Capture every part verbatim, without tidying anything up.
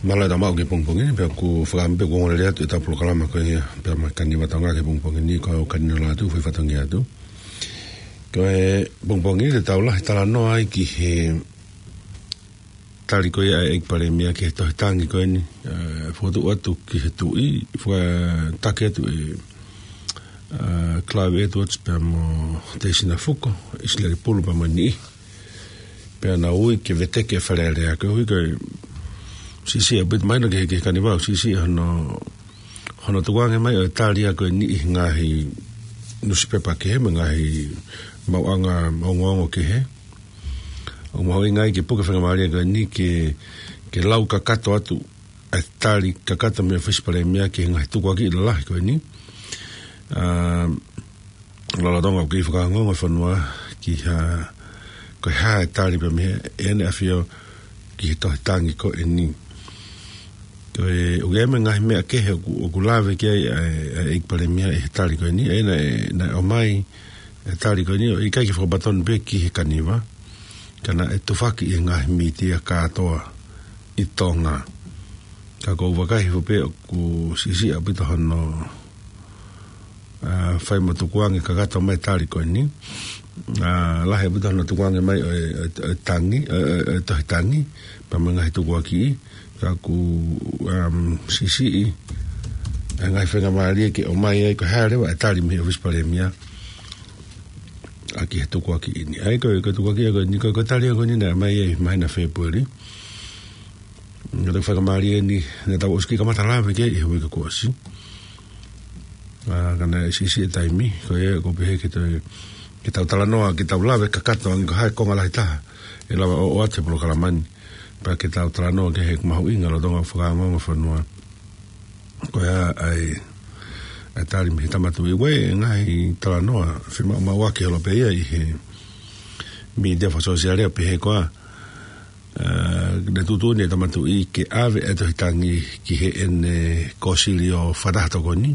Mālō e tau maʻu ki he pongipongi ni, pea ʻoku ou fakaʻamu pē ʻoku ongoongolelei atu ʻetau polokalama ko ia, pea mo e Kaniva Tonga ki he pongipongi ni, ko au Kani Nalatu, foʻi fatongia atu. Ko e pongipongi ni te tau lahi talanoa ai ki he tali ko ia ʻa e ʻEiki Palēmia ki he tohi tangi ko eni, ē, fokotuʻu atu ki he Tuʻi, fakataki atu ʻe, ē, Clive Edwards pea mo Teisina Fuko, ʻIsileli Pulu pea mo e niʻihi. Pea nau ui ke veteki e Fale Alea, koeʻuhi ko e siʻisiʻi ʻaupito, mahino ki he, ki he Kaniva, siʻisiʻi hono, hono tukuange mai ʻo e tali ia ko eni ʻi he ngaahi nusipepa kehe mo e ngaahi maʻuʻanga ongoongo kehe. ʻOku mahuʻinga ai ke puke faingamālie ko eni ke, ke lau kakato atu e tali kakato mei he ʻOfisi Palēmia ki he ngaahi tukuakiʻi lalahi ko eni. Ā, lolotonga ʻoku kei fakaongoongo e fonua ki ha, ko e hā e tali pea mei he ʻEne ʻAfio ki he tohi tangi ko eni. Ko e, ʻoku ʻi ai mo e ngaahi meʻa kehe ʻoku, ʻoku lave ki ai ʻa e, ʻa e ʻEiki Palēmia ʻi he tali ko eni, ʻa ia naʻe, naʻe ʻomai e tali ko eni, ʻo ʻikai ke fakapatonu pē ki he Kaniva, ka naʻe tufaki ʻi he ngaahi mītia kātoa ʻi Tonga. Ka ʻoku ou vakai hifo pē ʻoku siʻisiʻi ʻaupito hono, ā, fai mo tukuange kakato mai e tali ko eni. Ā, lahi ʻaupito hono tukuange mai ʻo e, ʻo e, ʻo e tangi, ʻo e, ʻo e, ʻo e tohi tangi, pea mo e ngaahi tukuakiʻi, ka ʻoku, um, siʻisiʻi e ngaahi faingamālie ke ʻomai ai ko e hā leva e tali mei he ʻOfisi Palēmia ʻaki e tukuakiʻi ni. ʻA ia ko e, ko e tukuakiʻi ko eni, ko e, ko e tali ko eni naʻe ʻomai ʻi he māhina Fēpueli. Naʻe toki faingamālie eni, naʻa tau ʻosi kiʻi kamata lave ki ai ʻi he uike kuo ʻosi. Ā, ka naʻe siʻisiʻi e taimi, ko ia ʻoku ou pehē ke tau, ke tau talanoa, ke tau lave kakato ange ko e hā e konga lahi taha ʻe lava ʻo ʻoatu he polokalama ni. Pea ke tau talanoa ki he mahuʻinga lolotonga ʻo e fakaongoongo fonua. Ko ia ʻa e, ʻa e tali mei he Tama Tuʻi, ʻoku ʻi ai e ngaahi talanoa fiemaʻumaʻuaki holo pē ia ʻi he mītia fakasōsiale ʻo pehē ko ā, ā, naʻe tuʻutuʻuni e Tama Tuʻi ke ʻave e tohi tangi ki heʻene kōsilio fakataha tokoni,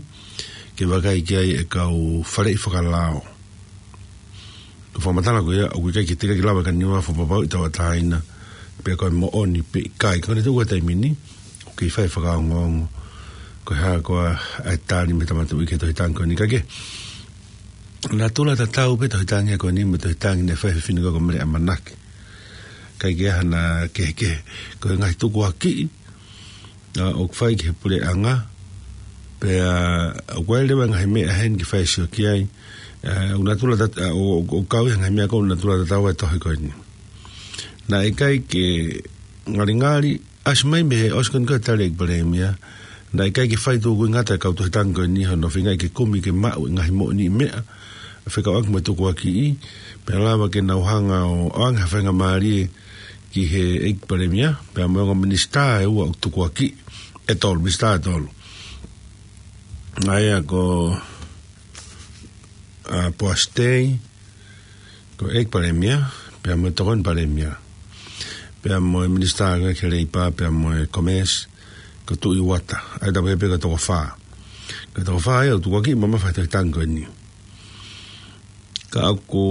ke vakai ki ai e kau faleʻi fakalao. Ko e fakamatala ko ia, ʻoku ʻikai ke teʻeki ke lava e Kaniva ʻo fakapapauʻi tauʻatāina pe ko e moʻoni pe ʻikai. Ka ko e tuʻu ʻa e taimi ni, ʻoku kei fai e fakaongoongo ko e hā koā e tali mei he Tama Tuʻi ki he tohi tangi ko eni. Ka ko e natula tatau pē e tohi tangi ko eni mo e tohi tangi naʻe fai ʻe he fefine ko ia ko Mele ʻAmanaki. ʻIkai ke ʻi ai hano kehekehe, ko e ngaahi tukuakiʻi, ā, ʻoku fai ki he puleʻanga, pea ʻoku ʻi ai leva e ngaahi meʻa heni ke fai e sio ki ai, ā, ʻoku natula tat-, ā, ʻo, ʻo, ʻoku kau ʻi he ngaahi meʻa ko ē ʻoku natula tatau e tohi ko eni. Naʻe ʻikai ke ngalingali, ʻasi mai mei he ʻosi ko eni ko e tali ʻa e ʻEiki Palēmia, naʻe ʻikai ke fai tukuingata e kau tohi tangi ko eni hono feingaʻi ke kumi ke maʻu e ngaahi moʻoniʻi meʻa fekauʻaki mo e tukuakiʻi, pea lava ke nau hanga ʻo ʻoange ha faingamālie ki he ʻEiki Palēmia, pea mo e ongo minisitā ʻe ua ʻoku tukuakiʻi, ʻe tolu, minisitā ʻe tolu. ʻA ia ko, ā, Poasi Tei, ko e ʻEiki Palēmia, pea mo e Tokoni Palēmia, pea mo e minisitā ki he Leipa, pea mo e Commerce, ko Tuʻi Uata, ʻa ia ʻoku pehē pē ko e toko fā. Ko e toko fā ia ʻoku tukuakiʻi mamafa he tohi tangi ko eni. Ka ʻoku,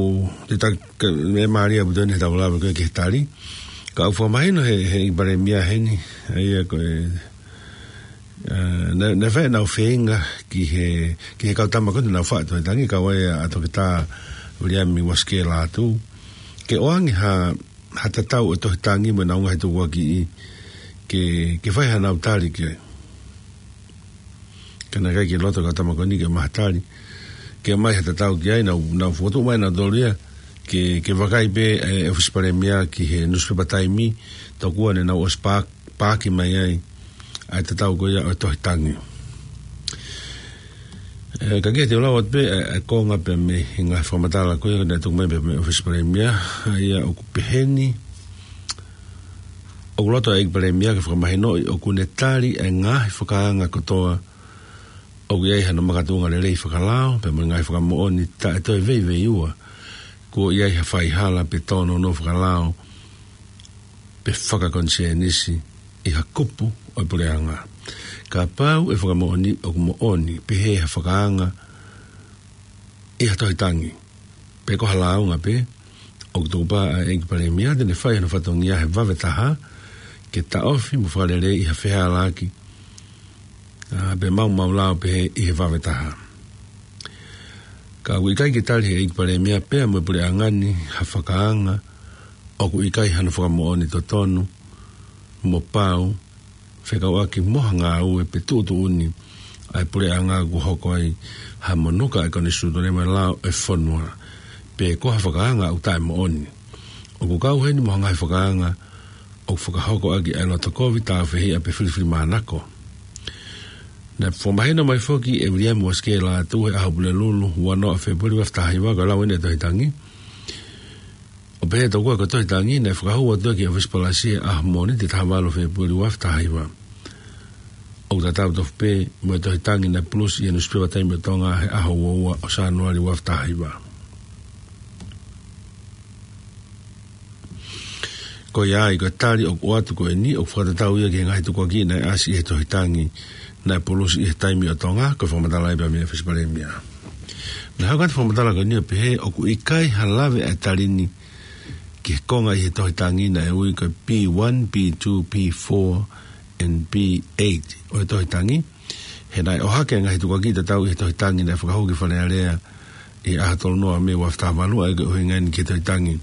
te ta-, ka, meʻa mālie ʻaupito eni heʻetau lave ko ē ki he tali. Ka ʻoku fakamahino ʻe he, he ʻEiki Palēmia heni, ʻa ia ko e, ā, naʻe, naʻe fai ʻenau feinga ki he, ki he kau tama ko ē naʻa nau faʻu e tohi tangi, kau ai ʻa Toketā Viliami Uasikē Lātū, ke ʻoange ha, ha tatau ʻo e tohi tangi mo ʻenau ngaahi tukuakiʻi ke, ke fai haʻanau tali ki ai. Ka naʻe ʻikai ke loto e kau tama ko eni ke ʻomai ha tali, ke ʻomai ha tatau ki ai, nau, nau fokotuʻu mai nautolu ia, ke, ke vakai pē e ʻOfisi Palēmia ki he nusipepa Taimi, tokua ne nau ʻosi pā-, paaki mai ai ʻa e tatau ko ia ʻo e tohi tangi. Ē, ka ke te lau atu pē, ē, e konga pē mei he ngaahi fakamatala ko ia naʻe tuku mai pē mei he ʻOfisi Palēmia, ʻa ia ʻoku pehē ni, ʻoku loto e ʻEiki Palēmia ke fakamahinoʻi ʻoku ne tali e ngaahi fakaanga kotoa ʻoku ʻi ai hano makatuʻunga lelei fakalao, pea mo e ngaahi fakamoʻoni taʻe toe veiveiua kuo ʻi ai ha faihala pe tōnounou fakalao pe fakakonisienisi ʻi ha kupu ʻo e puleʻanga. Kapau ʻe fakamoʻoni ʻoku moʻoni, pehē ha fakaanga ʻi ha tohi tangi, pe ko ha lāunga pē, ʻoku tukupā ʻa e ʻEiki Palēmia te ne fai hano fatongia he vave taha ke taʻofi mo fakalelei ʻi ha fehālaaki, ʻa, pe maumau lao pehē ʻi he vave taha. Ka ʻoku ʻikai ke tali ʻe he ʻEiki Palēmia pea mo e puleʻanga ni ha fakaanga ʻoku ʻikai hano fakamoʻoni totonu mo pau, fekauʻaki mo ha ngāue pe tuʻutuʻuni ʻa e puleʻanga ʻoku hoko ai ha monuka ʻa e konisitūtone mo e lao ʻo e fonua, pe ko ha fakaanga ʻoku taʻemoʻoni. ʻOku kau heni mo ha ngaahi fakaanga ʻoku fakahoko ʻaki ʻa e loto kovi, tāufehiʻa pe filifilimānako. Naʻe fakamahino mai foki ʻe Viliami Uasikē Lātū he ʻaho Pulelulu, ua noa Fēpueli ua afe taha hiva, ko e lau eni ʻa e Tohi Tangi. ʻO pehē tokua ko e Tohi Tangi naʻe fakahū atu ki he ʻōfisi palasi he ʻaho Mōnite taha valu Fēpueli ua afe taha hiva, ʻoku tatau tofu pē mo e Tohi Tangi naʻe pulusi ʻi he nusipepa Taimi ʻo Tonga he ʻaho ua ua ʻo Sānuali ua afe taha hiva. Ko ia ai, ko e tali ʻoku ʻoatu ko eni ʻoku fakatatau ia ki he ngaahi tukuakiʻi naʻe ʻasi ʻi he Tohi Tangi naʻe pulusi ʻi he Taimi ʻo Tonga, ko e fakamatala ia pea mei he ʻōfisi Palēmia. Naʻe hoko atu e fakamatala ko eni ʻo pehē ʻoku ʻikai ha lave ʻa e tali ni ki he konga ʻi he Tohi Tangi naʻe ui ko e P one, P two, P four, and P eight ʻo e Tohi Tangi. He naʻe ʻohake ʻa e ngaahi tukuakiʻi tatau ʻi he Tohi Tangi naʻe fakahū ki Fale Alea ʻi he ʻaho tolu noa Mē ua afe taha valu, ʻa ia ko e ʻuhinga eni ki he Tohi Tangi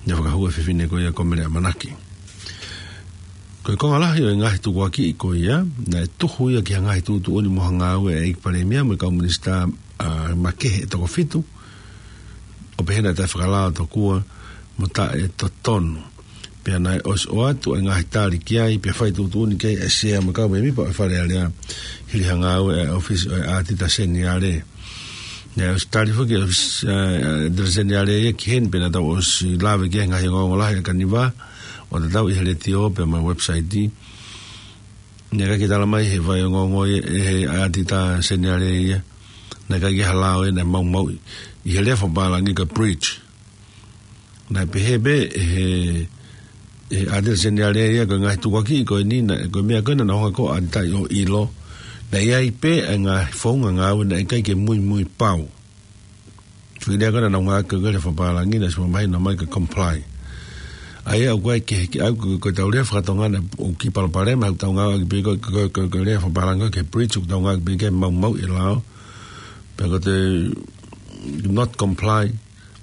naʻe fakahū ʻe he fefine ko ia ko Mele ʻAmanaki. Ko e konga lahi ʻo e ngaahi tukuakiʻi ko ia, naʻe tuhu ia ki ha ngaahi tuʻutuʻuni mo ha ngāue ʻa e ʻEiki Palēmia mo e kau minisitā, ʻa, makehe ʻe toko fitu, ʻo pehē naʻe taʻefakalao tokua mo taʻetotonu. Pea naʻe ʻosi ʻoatu ʻa e ngaahi tali ki ai, pea fai tuʻutuʻuni ki ai ʻa e Sea mo e kau mēmipa ʻo e Fale Alea, hili ha ngāue ʻa e ʻōfisi ʻo e ʻĀtita Seniale. Naʻe ʻosi tali foki ʻe he ʻōfisi, ʻa, ʻĀtita Seniale ia ki heni, pea naʻa tau ʻosi lave ki he ngaahi ongoongo lahi ʻa Kaniva, ʻo tatau ʻi he letiō pea mo e website. Naʻe ʻikai ke tala mai he fai ongoongo ia ʻe he ʻĀtita Seniale ia naʻe ʻikai ke ha lao ia naʻe maumauʻi, ʻi he lea fakapālangi ko e breach. Naʻe pehē pē ʻe he, ʻe he ʻĀtita Seniale ia ko e ngaahi tukuakiʻi ko eni, naʻe, ko e meʻa ko ē naʻa nau hanga ko ē ʻo ʻatitaʻi ʻo ʻilo, naʻe ʻi ai pē ʻa e ngaahi founga ngāue naʻe ʻikai ke muimui pau. Foʻi lea ko ē naʻa nau ngāueʻaki ko e lea fakapālangi naʻe ʻosi fakamahino mai ko e comply. ʻA ia ʻoku ʻikai ke, ke ʻai ko e, ko ʻetau lea faka-Tonga naʻe ʻoku kiʻi palopalema, ʻoku tau ngāueʻaki pē ko e, ko e, ko e, ko e lea fakapālangi ko e ke breach, ʻoku tau ngāueʻaki pē ke maumauʻi e lao. Pea ko e not comply,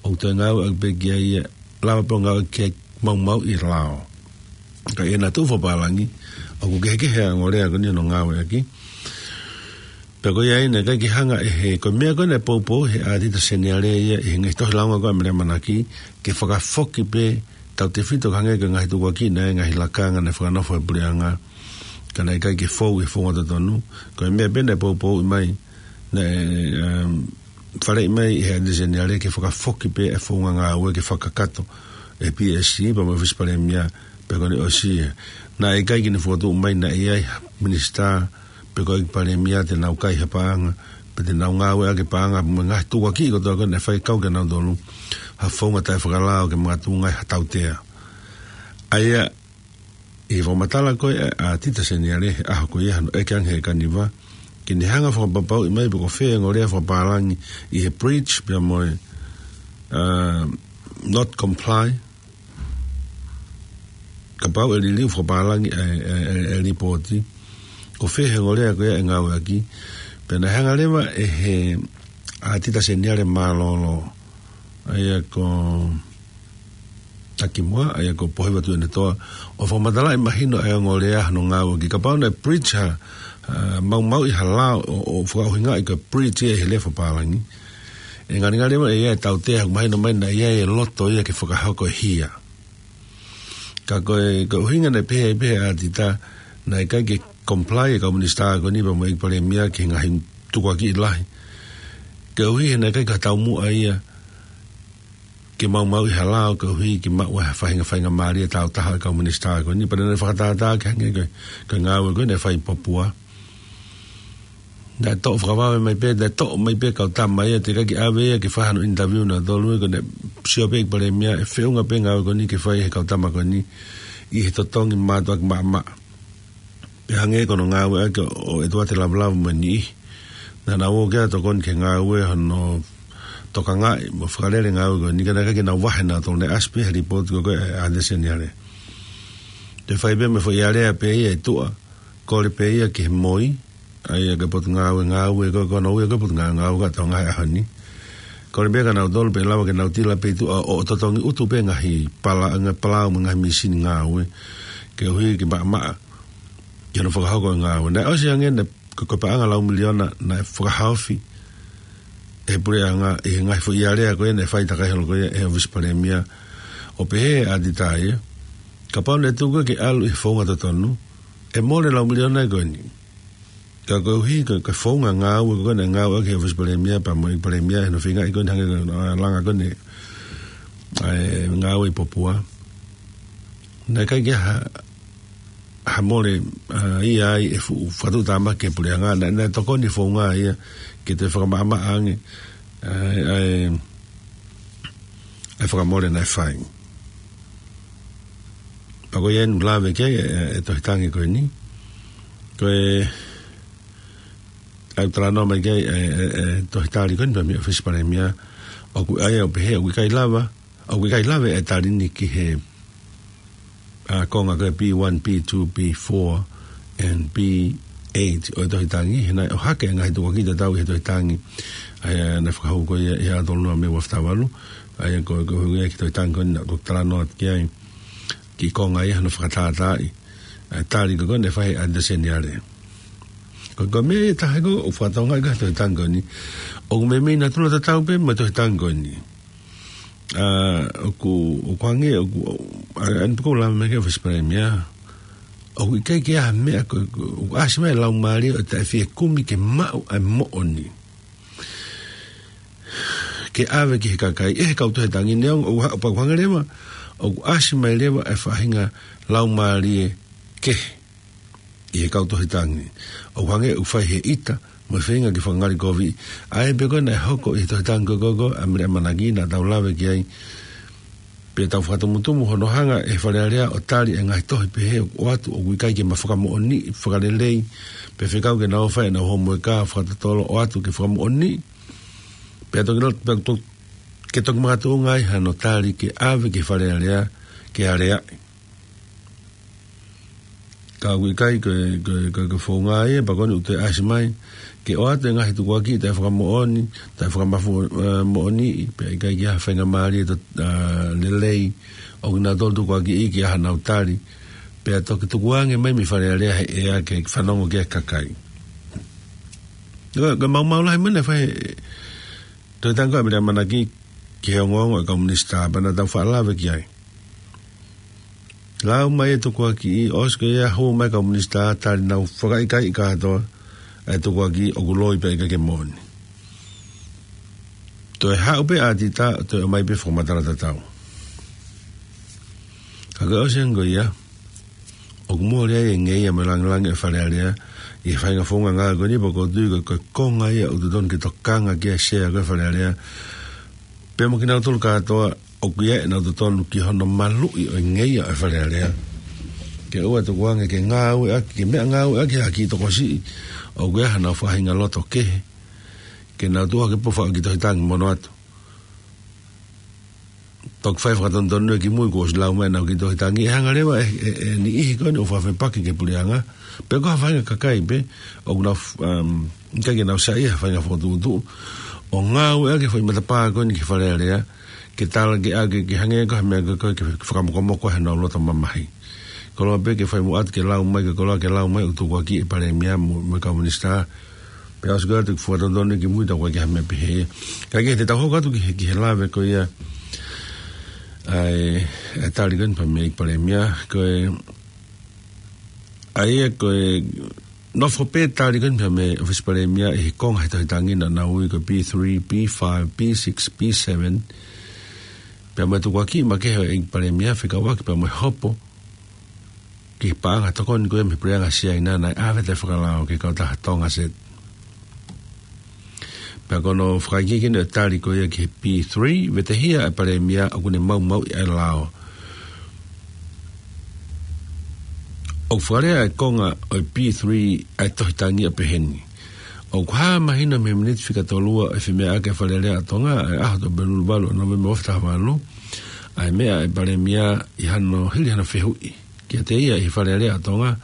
ʻoku toe ngāueʻaki pē ki ai ia, lava pē ʻo ngāueʻaki ke maumauʻi e lao. Ka ʻi heʻene tuʻu fakapālangi, ʻoku kehekehe ʻa e ongo lea ko eni hono ngāueʻaki. Pea ko ia ai naʻe ʻikai ke hanga ʻe he, ko e meʻa ko ē naʻe poupou he ʻĀtita Seniale ia ʻi he ngaahi tohi lāunga ko ē ʻa Mele ʻAmanaki, ke fakafoki pē tautefito ki he ngaahi, ki he ngaahi tukuakiʻi naʻe, ngaahi lakanga naʻe fakanofo ʻe he puleʻanga, ka naʻe ʻikai ke fou he founga totonu. Ko e meʻa pē naʻe poupouʻi mai, naʻe, um, faleʻi mai ʻe he ʻĀtita Seniale ke fakafoki pē e founga ngāue ke fakakakato ʻe he P S C pea mo e ʻōfisi Palēmia, pea ko ʻene ʻosi ia. Naʻe ʻikai ke ne fokotuʻu mai naʻe ʻi ai ha minisitā pe ko e ʻEiki Palēmia te nau kai ha paʻanga, pe te nau ngāueʻaki e paʻanga mo e ngaahi tukuakiʻi kotoa ko ē naʻe fai, kau kinautolu ha founga taʻefakalao ke makatuʻunga ai ha tautea. ʻA ia, ʻi he fakamatala ko ē ʻa e ʻĀtita Seniale he ʻaho ko ia hono ʻeke ange ʻe he Kaniva ke ne hanga ʻo fakapapauʻi mai pe ko fē e ongo lea fakapālangi ʻi he breach pea mo e, uh, not comply, kapau ʻe liliu fakapālangi e, e, e, e lipooti, ko fē he ongo lea ko ia ʻe ngāueʻaki. Pea naʻe hanga leva ʻe he ʻĀtita Seniale mālōlō, ʻa ia ko Takimuʻa, ʻa ia ko Pohiva Tuʻiʻonetoa, ʻo fakamatalaʻi mahino e ongo lea hono ngāueʻaki. Kapau naʻe breach ha, uh, maumauʻi ha lao ʻo, ʻo fakaʻuhingaʻi ko e breach ia ʻi he lea fakapālangi, ʻe ngalingali ʻe ʻi ai e tautea, ʻoku mahino mai naʻe ʻi ai e loto ia ke fakahoko e hia. Ka ko e, ko e ʻuhinga naʻe pehē ai pē ʻe he ʻĀtita, naʻe ʻikai ke comply e kau minisitā ko eni pea mo e ʻEiki Palēmia ki he ngaahi tukuakiʻi lahi, koeʻuhi he naʻe ʻikai ke taumuʻa ia ke maumauʻi ha lao, koeʻuhi ke maʻu ha faʻahinga faingamālie tāutaha ʻa e kau minisitā ko eni. Pea naʻe fakatātā ke hangē ko e, ko e ngāue ko ē naʻe fai ʻi Papua. Naʻe toʻo fakavave mai pē, naʻe toʻo mai pē e kau tama ia, teʻeki ke ʻave ia ke fai hano interview ʻa nautolu, ko ʻene sio pē ʻEiki Palēmia ʻe feʻunga pē e ngāue ko eni ke fai ʻe he kau tama ko eni ʻi he totongi mātuʻaki maʻamaʻa. Pea hangē ko hono ngāueʻaki ʻo ʻEtuate Lavulavu mo e niʻihi. Naʻa nau ō ki ai ʻo tokoni ki he ngāue hono tokangaʻi mo fakalele e ngāue ko eni, ka naʻe ʻikai ke nau vahe nautolu, naʻe ʻasi pē he lipooti ko ē ʻa e ʻĀtita Seniale. ʻE fai pē mo e foʻi alea pē ia ʻe tuʻa. Kole pē ia ki he MOI, ʻa ia ko e Potungāue Ngāue, ko, ko hono ui ko e Potungāue Ngāue ko e Tonga he ʻaho ni. Kole pē kia nautolu pe ʻe lava ke nau tila pē ʻi tuʻa ʻo, ʻo totongi ʻutu pē ngaahi pala-, ngaahi palau mo e ngaahi mīsini ngāue. Ke ʻuhi ke maʻamaʻa ki hono fakahoko e ngāue. Naʻe ʻosi ange naʻe ko, ko e paʻanga lau miliona naʻe fakahaofi ʻe he puleʻanga ʻi he ngaahi foʻi alea ko ia naʻe fai takai holo ko ia ʻe he ʻOfisi Palēmia. ʻO pehē ʻe ʻAtita ia, kapau naʻe tuku ke ʻalu ʻi he founga totonu, ʻe mole lau miliona ko eni. Ka koeʻuhi ko e, ko e founga ngāue ko ē naʻe ngāueʻaki ʻe he ʻOfisi Palēmia pea mo e Palēmia ʻi hono feingaʻi ko eni hangē ko e, ʻa, langa ko eni ʻa e ngāue ʻi Popua, naʻe ʻikai ke ha, ha mole, ʻa, ia ai e fuʻu fakatuʻutāmaki ki he puleʻanga, naʻe, naʻe tokoni e founga ia ke toe fakamaʻamaʻa ange ʻa e, ʻa e, ʻa e fakamole naʻe fai. Pea ko ia ʻoku lave ki ai e, e, e tohi tangi ko eni. Ko e, ʻa ia ʻoku talanoa mai ki ai e, e, e tohi tali ko eni pea mei he ʻOfisi Palēmia, ʻoku ʻai ʻo pehē ʻoku ʻikai lava, ʻoku ʻikai lave e tali ni ki he, ʻa, konga ko e B one, B two, B four, and B eight ʻo e tohi tangi, he naʻe ʻohake e ngaahi tukuakiʻi tatau ʻi he tohi tangi. ʻA ia naʻe fakahū ko ia ʻi he ʻaho tolunima mei he ua fitu valu, ʻa ia ko, ko e ʻuhinga ki he tohi tangi ko eni naʻa ku talanoa atu ki ai, ki he konga ia hono fakatātaaʻi ʻa e tali ko ē naʻe fai ʻe ʻAtita Seniale. Ko, ko e meʻa ʻe taha ko ē ʻoku fakatokangaʻi ko ē he tohi tangi ko eni, ʻoku meimei natula tatau pē mo e tohi tangi ko eni. ʻA, ʻoku, ʻoku hangē, ʻoku, ʻa, ʻa eni pē ʻoku lave mai ki ai e ʻOfisi Palēmia, ʻoku ʻikai ke ʻi ai ha meʻa ko, ko, ʻoku ʻasi mai e laumālie ʻo e taʻefiekumi ke maʻu ʻa e moʻoni ke ʻave ki he kakai ʻe he kau tohi tangi, neongo ʻoku ha-, pea ʻoku hangē leva ʻoku ʻasi mai leva e faʻahinga laumālie kehe ʻi he kau tohi tangi. ʻOku hangē ʻoku fai he ʻita mo e feinga ke fakangalikoviʻi. ʻA ia pē ko ē naʻe hoko ʻi he tohi tangi ko ē ko, ko ʻAmelika Manaki naʻa tau lave ki ai. Pea tau fakatumutumu hono hanga ʻe he Fale Alea ʻo tali e ngaahi tohi pehē ʻoku ʻoatu ʻoku ʻikai ke ma fakamoʻoniʻi, fakalelei, pea fekau ke nau fai ʻenau homoeka fakatotolo ʻoatu ke fakamoʻoniʻi. Pea toki lo-, pea to-, ke toki makatuʻunga ai hano tali ke ʻave ki he Fale Alea ke aleaʻi. Ka ʻoku ʻikai ko e, ko e, ko e, ko e founga ia, pea ko eni ʻoku toe ʻasi mai ke ʻoatu e ngaahi tukuakiʻi taʻefakamoʻoni, taʻefakamafu-, ʻe, moʻoniʻi, pea ʻikai ke ʻi ai ha faingamālie to-, ʻa, lelei ʻo kinautolu tukuakiʻi ke ʻi ai hanau tali, pea toki tukuange mai mei Fale Alea he ʻea ke fanongo ki ai e kakai. Ko, ko e maumau lahi mai naʻe fai he tohi tangi ko ʻAmelika Manaki ki he ongoongo ʻa e kau minisitā, pea naʻa tau faʻa lave ki ai. Lau mai e tukuakiʻi, ʻosi ko ia hū mai e kau minisitā, tali nau fakaʻikaiʻi kātoa e tukuakiʻi ʻoku loi pea ʻikai ke moʻoni. Toe haʻu pē ʻa ʻAtita, toe ʻomai pē fakamatala tatau. Ka ko e ʻosi ange ko ia, ʻoku mole ai e ngeia mo e langilangi ʻo e Fale Alea ʻi he faʻahinga founga ngāue ko eni, pea ʻoku ou tui ko e, ko e konga ia ʻoku totonu ke tokanga ki ai e Sea ko ē ʻo e Fale Alea, pea mo kinautolu kātoa ʻoku ʻi ai ʻenau totonu ki hono maluʻi ʻo e ngeia ʻo e Fale Alea, ke ʻoua ʻe tukuange ke ngāueʻaki, ke meʻangāueʻaki ʻe ha kiʻi tokosiʻi ʻoku ʻi ai hanau faʻahinga loto kehe, ke nau tuʻu hake pē ʻo fai e kiʻi tohi tangi mo nofo atu. Toki fai fakatonutonu ki mui kuo ʻosi lau mai ʻenau kiʻi tohi tangi, ʻe hanga leva ʻe, ʻe, ʻe he niʻihi ko eni ʻoku fakafepaki ki he puleʻanga, pe ko ha faʻahinga kakai pē ʻoku nau f-, um, ʻikai ke nau saiʻia he faʻahinga fokotuʻutuʻu, ʻo ngāueʻaki e foʻi matapā ko eni ki he Fale Alea ke tala ke ʻa, ke, ke hangē ko ha meʻa ko ē ke, ke fakamokomoko ai honau loto mamahi. Koloa pē ke fai mo ʻatu ke lau mai, ke koloa ke lau mai ʻoku tukuakiʻi e Palēmia mo, mo e kau minisitā. Pea ʻosi ko ia ʻoku fakatonutonu ki mui, tau ʻikai ke ʻi ai ha meʻa pehē. Kae kehe, te tau hoko atu ki he, ki he lave ko ia ʻa e, ʻa e tali ko eni pea mei he Palēmia, ko e, ʻa ia ko e nofo pē tali ko eni pea mei he ʻOfisi Palēmia ʻi he konga he tohi tangi naʻa nau ui ko e B three, B five, B six, B seven. Pea mo e tukuakiʻi makehe ʻa e Palēmia fekauʻaki pea mo e hopo ki he paʻanga tokoni ko ia mei he puleʻanga Siaina naʻe ʻave taʻefakalao ki he kautaha Tongaset. Pea ko hono fakaikiiki ʻo e tali ko ia ki he B three, vetehia ʻe he Palēmia ʻoku ne maumauʻi ʻa e lao. ʻOku fakalea ʻa e konga ʻo e B three ʻa e tohi tangi ʻo pehē ni: ʻOku hā mahino mei he miniti fika tolu ua ʻo e femeʻaʻaki ʻa e Fale Alea ʻa Tonga ʻi he ʻaho Tuʻapulelulu valu ʻo Nōvema ua afe taha valu, ʻa e meʻa ʻa e Palēmia ʻi hano, hili hano fehuʻi kiate ia ʻi he Fale Alea ʻo Tonga,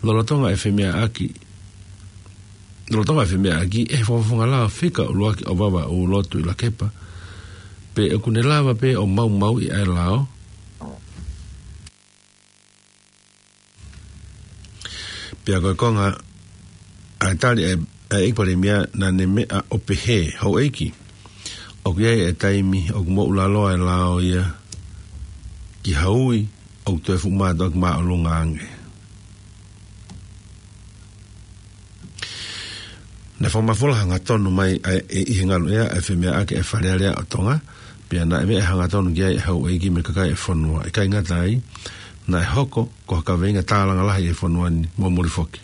lolotonga e femeʻaʻaki, lolotonga e femeʻaʻaki ʻe he Fakafofonga Lao Fika ʻUluaki ʻo Vavaʻu, Lotu ʻi Lakepa, pe ʻoku ne lava pē ʻo maumauʻi ʻa e lao. Pea ko e konga ʻa e tali ʻa e, ʻa e ʻEiki Palēmia, naʻa ne meʻa ʻo pehē: Houʻeiki, ʻoku ʻi ai e taimi ʻoku moʻulaloa e lao ia ki ha ui ʻoku toe fuʻu mātuʻaki māʻolunga ange. Naʻe fakamafola hangatonu mai ʻa e, ʻi he ngaluʻea ʻa e femeʻaʻaki ʻa e Fale Alea ʻo Tonga, pea naʻe meʻa hangatonu ki ai ʻa e houʻeiki mo e kakai ʻo e fonua. ʻIkai ngata ai, naʻe hoko ko ha kaveinga tālanga lahi ʻi he fonua ni mo muli foki.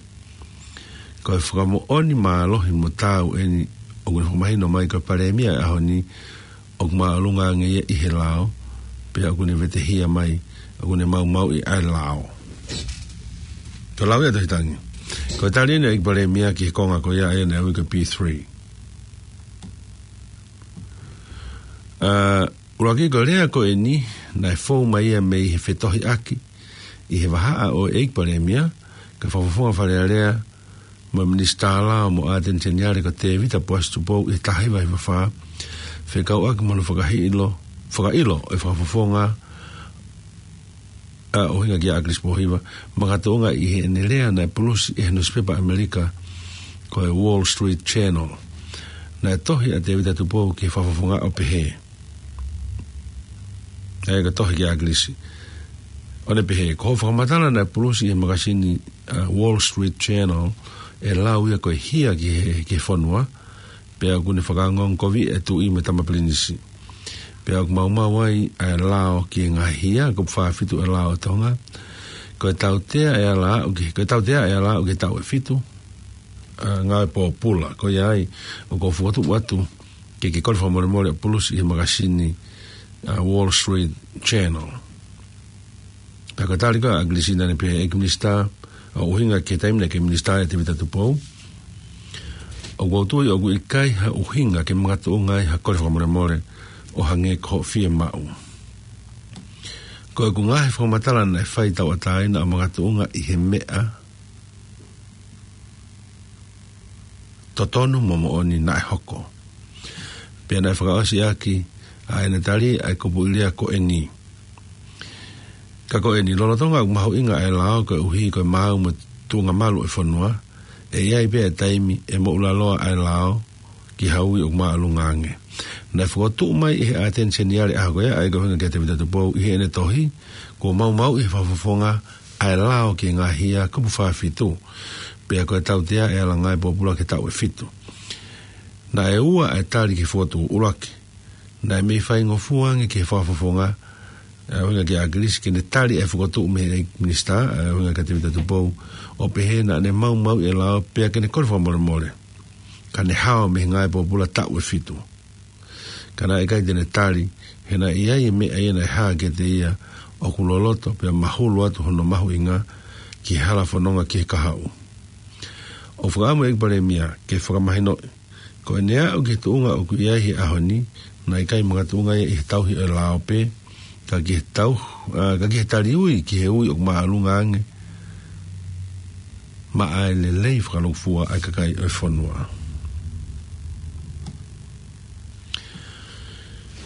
Ko e fakamoʻoni mālohi mo taau eni ʻoku ne fakamahino mai ko e Palēmia ʻo e ʻaho ni ʻoku māʻolunga ange ia ʻi he lao, pea ʻoku ne vetehia mai ʻoku ne maumauʻi ʻa e lao. Ko e lau ia ʻa e Tohi Tapu. Ko e tali eni ʻa e ʻEiki Palēmia ki he konga ko ia ʻa ia naʻe ui ko e P three. ʻA, ʻuluaki, ko e lea ko eni naʻe fou mai ia mei he fetohiʻaki ʻi he vahaʻa ʻo e ʻEiki Palēmia, kae Fakafofonga Fale Alea mo e Minisitā Lao mo e ʻAteni Seniale ko Tēvita Poasi Tupou ʻi he taha hiva hiva fā, fekauʻaki mo hono fakaʻilo, fakaʻilo ʻe he Fakafofonga, ʻa, ʻUhinga kia ʻAkilisi Pōhiva, makatuʻunga ʻi heʻene lea naʻe pulusi ʻe he nusipepa ʻAmelika ko e Wall Street Journal. Naʻe tohi ʻa Tēvita Tupou ki he Fakafofonga ʻo pehē, ʻa ia ko e tohi kia ʻAkilisi, ʻo ne pehē: Ko hoʻo fakamatala naʻe pulusi ʻi he makasini, ʻa, Wall Street Journal, ʻe lau ia ko e hia ki he, ki he fonua, pea ʻoku ne fakaongoongokoviʻi e Tuʻi mo e Tama Pilinisi. Pea ʻoku maumau ai ʻa e lao ki he ngaahi hia, kupu fā fitu ʻo e lao ʻo Tonga. Ko e tautea ʻe ala aʻu ki, ko e tautea ʻe ala aʻu ki he taʻu ʻe fitu, ʻa, ngāue pōpula. Ko ia ai ʻoku ou fokotuʻu atu ke ke kole fakamolemole ʻo pulusi ʻi he makasini, ʻa, Wall Street Journal. Pea ko e tali ko ia ʻa ʻAkilisi, naʻa ne pehē: ʻEiki Minisitā, ʻo ʻuhinga ki he taimi naʻe kei minisitā ai ʻa Tēvita Tupou, ʻoku ou tui ʻoku ʻikai ha ʻuhinga ke makatuʻunga ai ha kole fakamolemole ʻo hangē ko hoʻo fiemaʻu. Ko ʻeku ngaahi fakamatala naʻe fai tauʻatāina ʻo makatuʻunga ʻi he meʻa totonu mo moʻoni naʻe hoko. Pea naʻe fakaʻosi ʻaki ʻa ʻene tali ʻa e kupuʻi lea ko eni: Ka ko eni, lolotonga ʻoku mahuʻinga ʻa e lao koeʻuhi ko e maau mo e tuʻunga malu ʻo e fonua, ʻe ʻi ai pē ʻa e taimi ʻe moʻulaloa ʻa e lao ki ha ui ʻoku māʻolunga ange. Naʻe fokotuʻu mai ʻe he ʻAteni Seniale ʻaho ko ia, ʻa ia ko e ʻUhinga kia Tēvita Tupou, ʻi heʻene tohi, kuo maumauʻi ʻe he Fakafofonga ʻa e lao ki he ngaahi hia, kupu fā fitu, pea ko e tautea ʻe ala ngāue pōpula ki he taʻu ʻe fitu. Naʻe ua ʻa e tali ki he fokotuʻu. ʻUluaki, naʻe mei faingofua ange ki he Fakafofonga, ʻa, ʻUhinga kia ʻAkilisi, ke ne tali e fokotuʻu mei he ʻEiki Minisitā, ʻa, ʻUhinga kia Tēvita Tupou, ʻo pehē naʻa ne maumauʻi e lao pea ke ne kole fakamolemole, ka ne hao mei he ngāue pōpula taʻu ʻe fitu. Ka naʻe ʻikai te ne tali, he naʻe ʻi ai e meʻa ia naʻe hā kiate ia ʻoku loloto pea mahulu atu hono mahuʻinga ki he hala fononga ki he kahaʻu. ʻOku fakaʻamu e ʻEiki Palēmia ke fakamahinoʻi, ko ʻene aʻu ki he tuʻunga ʻoku ʻi ai he ʻaho ni, naʻe ʻikai makatuʻunga ia ʻi he tauhi ʻo e lao pē, ka ki he tau-, ʻa, ka ki he tali ui ki he ui ʻoku māʻolunga ange maʻa e lelei fakalūkufua ʻa e kakai ʻo e fonua.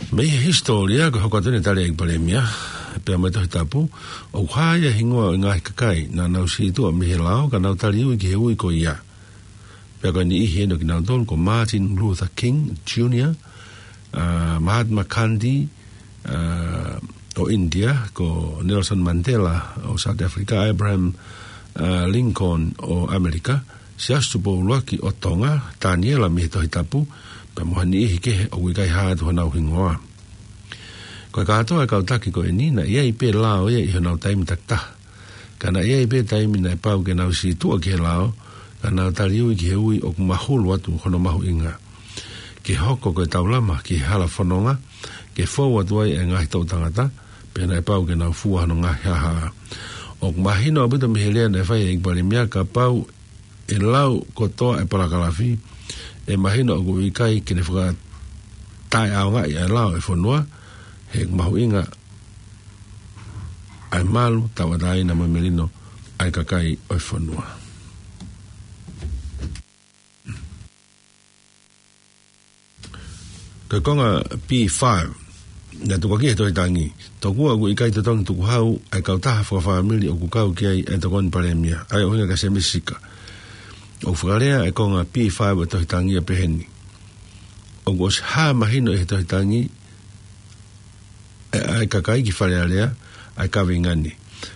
Mei he hisitōlia, ko e hoko atu eni e tali ʻa e ʻEiki Palēmia, pea mo e Tohi Tapu, ʻoku hā ia e hingoa ʻo e ngaahi kakai naʻa nau sītuʻa mei he lao ka nau tali ui ki he ui ko ia. Pea ko e niʻihi eni ʻo kinautolu ko Martin Luther King Junior, ʻa, Mahatma Gandhi, ʻa, ʻo ʻInitia, ko Nelson Mandela ʻo South Africa, Abraham, ʻa, Lincoln ʻo ʻAmelika, Siaosi Tupou ʻUluaki ʻo Tonga, Taniela mei he Tohi Tapu, pea mo ha niʻihi kehe ʻoku ʻikai hā atu honau hingoa. Ko e kātoa e kau taki ko eni, naʻe ʻi ai pē lao ia ʻi honau taimi takitaha. Ka naʻe ʻi ai pē taimi naʻe pau ke nau sītuʻa ki he lao, ka nau tali ui ki he ui ʻoku mahulu atu hono mahuʻinga. Ke hoko ko e taulama ki he hala fononga, ke fou atu ai e ngaahi toʻu tangata, pea naʻe pau ke nau fua hono ngaahi haʻahaʻa. ʻOku mahino ʻaupito mei he lea naʻe fai ʻe he ʻEiki Palēmia, kapau ʻe lau kotoa e palakalafi, ʻe mahino ʻoku ʻikai ke ne fakataʻeʻaongaʻi ʻa e lao ʻo e fonua, he ʻoku mahuʻinga ʻa e malu, tauʻatāina mo e melino ʻa e kakai ʻo e fonua. Ko e konga B five, naʻe tukuakiʻi he tohi tangi: Tokua ʻoku ʻikai totongi tukuhau ʻa e kautaha fakafāmili ʻoku kau ki ai ʻa e Tokoni Palēmia, ʻa ia ʻoku ʻuhinga kia Sēmisi Sika. ʻOku fakalea ʻa e konga B five ʻo e tohi tangi ʻo peheni: ʻOku ʻosi hā mahino ʻi he tohi tangi ʻe, ʻa e kakai ki Fale Alea ʻa e kaveinga ni.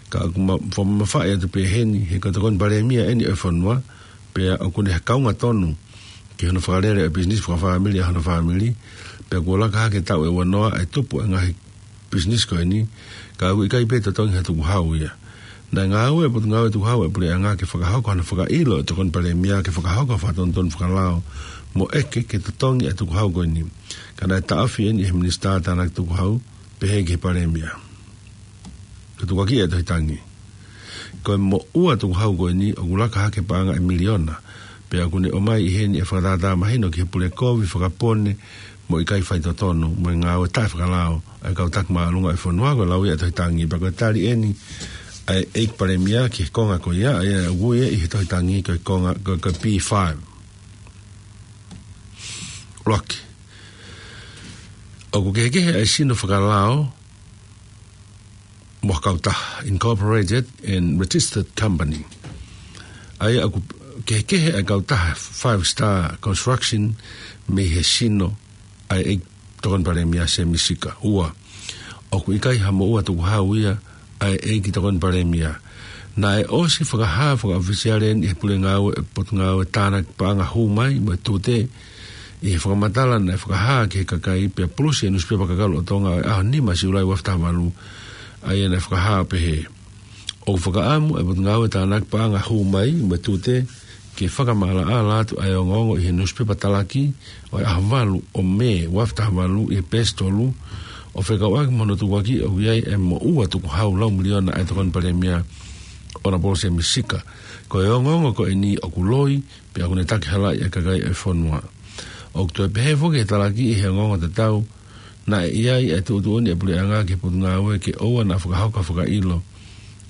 Ka ʻoku ma-, fakamamafaʻi atu pē heni, he ko e Tokoni Palēmia ʻeni ʻo e fonua, pea ʻoku ne kaunga tonu ki hono fakalele ʻo e pisinisi fakafāmili ʻa hono fāmili, pea kuo laka hake taʻu ʻe uanoa ʻa e tupu ʻa e ngaahi pisinisi ko eni, ka ʻoku ʻikai pē totongi ha tukuhau ia. Naʻe ngāue ʻa e Potungāue Tukuhau ʻa e Puleʻanga ke fakahoko hano fakaʻilo ʻa e Tokoni Palēmia ke fakahoko ha fakatonutonu fakalao mo ʻeke ke totongi ʻa e tukuhau ko eni. Ka naʻe taʻofi ʻeni ʻe he Minisitā Tānaki Tukuhau, pehē ki he Palēmia: Ko e tukuakiʻi ʻa e tohi tangi: Ko e moʻua tukuhau ko eni ʻoku laka hake paʻanga ʻe miliona, pea ʻoku ne ʻomai ʻi heni ʻa e fakatātā mahino ki he pule kovi, fakapone mo e ʻikai faitotonu mo e ngāue taʻefakalao ʻa e kau taki māʻolunga ʻo e fonua. Ko e lau ia ʻa e tohi tangi, pea ko e tali ʻeni ʻa e ʻEiki Palēmia ki he konga ko ia, ʻa ia ʻoku ui ia ʻi he tohi tangi ko e konga ko, ko e B five. ʻUluaki, ʻoku kehekehe ʻa e sino fakalao mo ha kautaha, incorporated and registered company. ʻA ia ʻoku kehekehe ʻa e kautaha Five Star Construction mei he sino ʻa e ʻEiki Tokoni Palēmia Sēmisi Sika. Ua, ʻoku ʻikai ha moʻua tukuhau ia ʻa e ʻEiki Tokoni Palēmia. Naʻe ʻosi fakahā fakaʻofisiale ʻeni ʻe he Pulengāue ʻo e Potungāue Tānaki Paʻanga Hū Mai mo e Tute, ʻi he fakamatala naʻe fakahā ki he kakai pea pulusi ʻe he nusipepa Kakalo ʻo Tonga ʻo e ʻaho nima Siulai ua afe taha valu, ʻa ia naʻe fakahā ʻo pehē: ʻOku fakaʻamu ʻa e Potungāue Tānaki Paʻanga Hū Mai mo e Tute ke fakamaʻalaʻala atu ʻa e ongoongo ʻi he nusipepa Talaki ʻo e ʻaho valu ʻo Mē ua afe taha valu ʻi he peesi tolu, ʻo fekauʻaki mo hono tukuakiʻi ʻoku ʻi ai ʻa e moʻua tukuhau lau miliona ʻa e Tokoni Palēmia ʻOnapolo Sēmisi Sika. Ko e ongoongo ko eni ʻoku loi, pea ʻoku ne takihalaʻi ʻa e kakai ʻo e fonua. ʻOku toe pehē foki ʻe he Talaki ʻi he ongoongo tatau, naʻe ʻi ai ʻa e tuʻutuʻuni ʻa e Puleʻanga ki he Potungāue ke ʻoua naʻa fakahoko ha fakaʻilo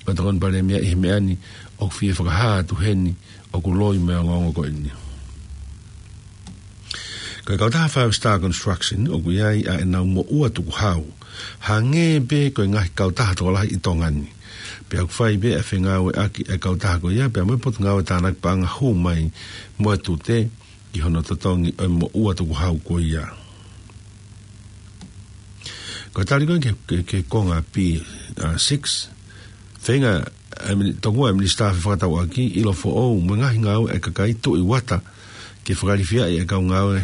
ʻo e Tokoni Palēmia ʻi he meʻa ni, ʻoku fie fakahā atu heni ʻoku loi mo e ongoongo ko eni. Ko e kautaha Five Star Construction ʻoku ʻi ai ʻa ʻenau moʻua tukuhau, hangē pē ko e ngaahi kautaha tokolahi ʻi Tonga ni. Pea ʻoku fai pē ʻa e fengāueʻaki ʻa e kautaha ko ia pea mo e Potungāue Tānaki Paʻanga Hū Mai mo e Tute ki hono totongi ʻo e moʻua tukuhau ko ia. Ko e tali ko ē ki he, ki he, ki he konga B, uh, six, feinga ʻa e mini-, tokua ʻa e Minisitā Fefakatauʻaki, ʻIlo Foʻou mo e Ngaahi Ngāue ʻa e Kakai, Tuʻi Uata, ke fakalifiaʻi ʻa e kau ngāue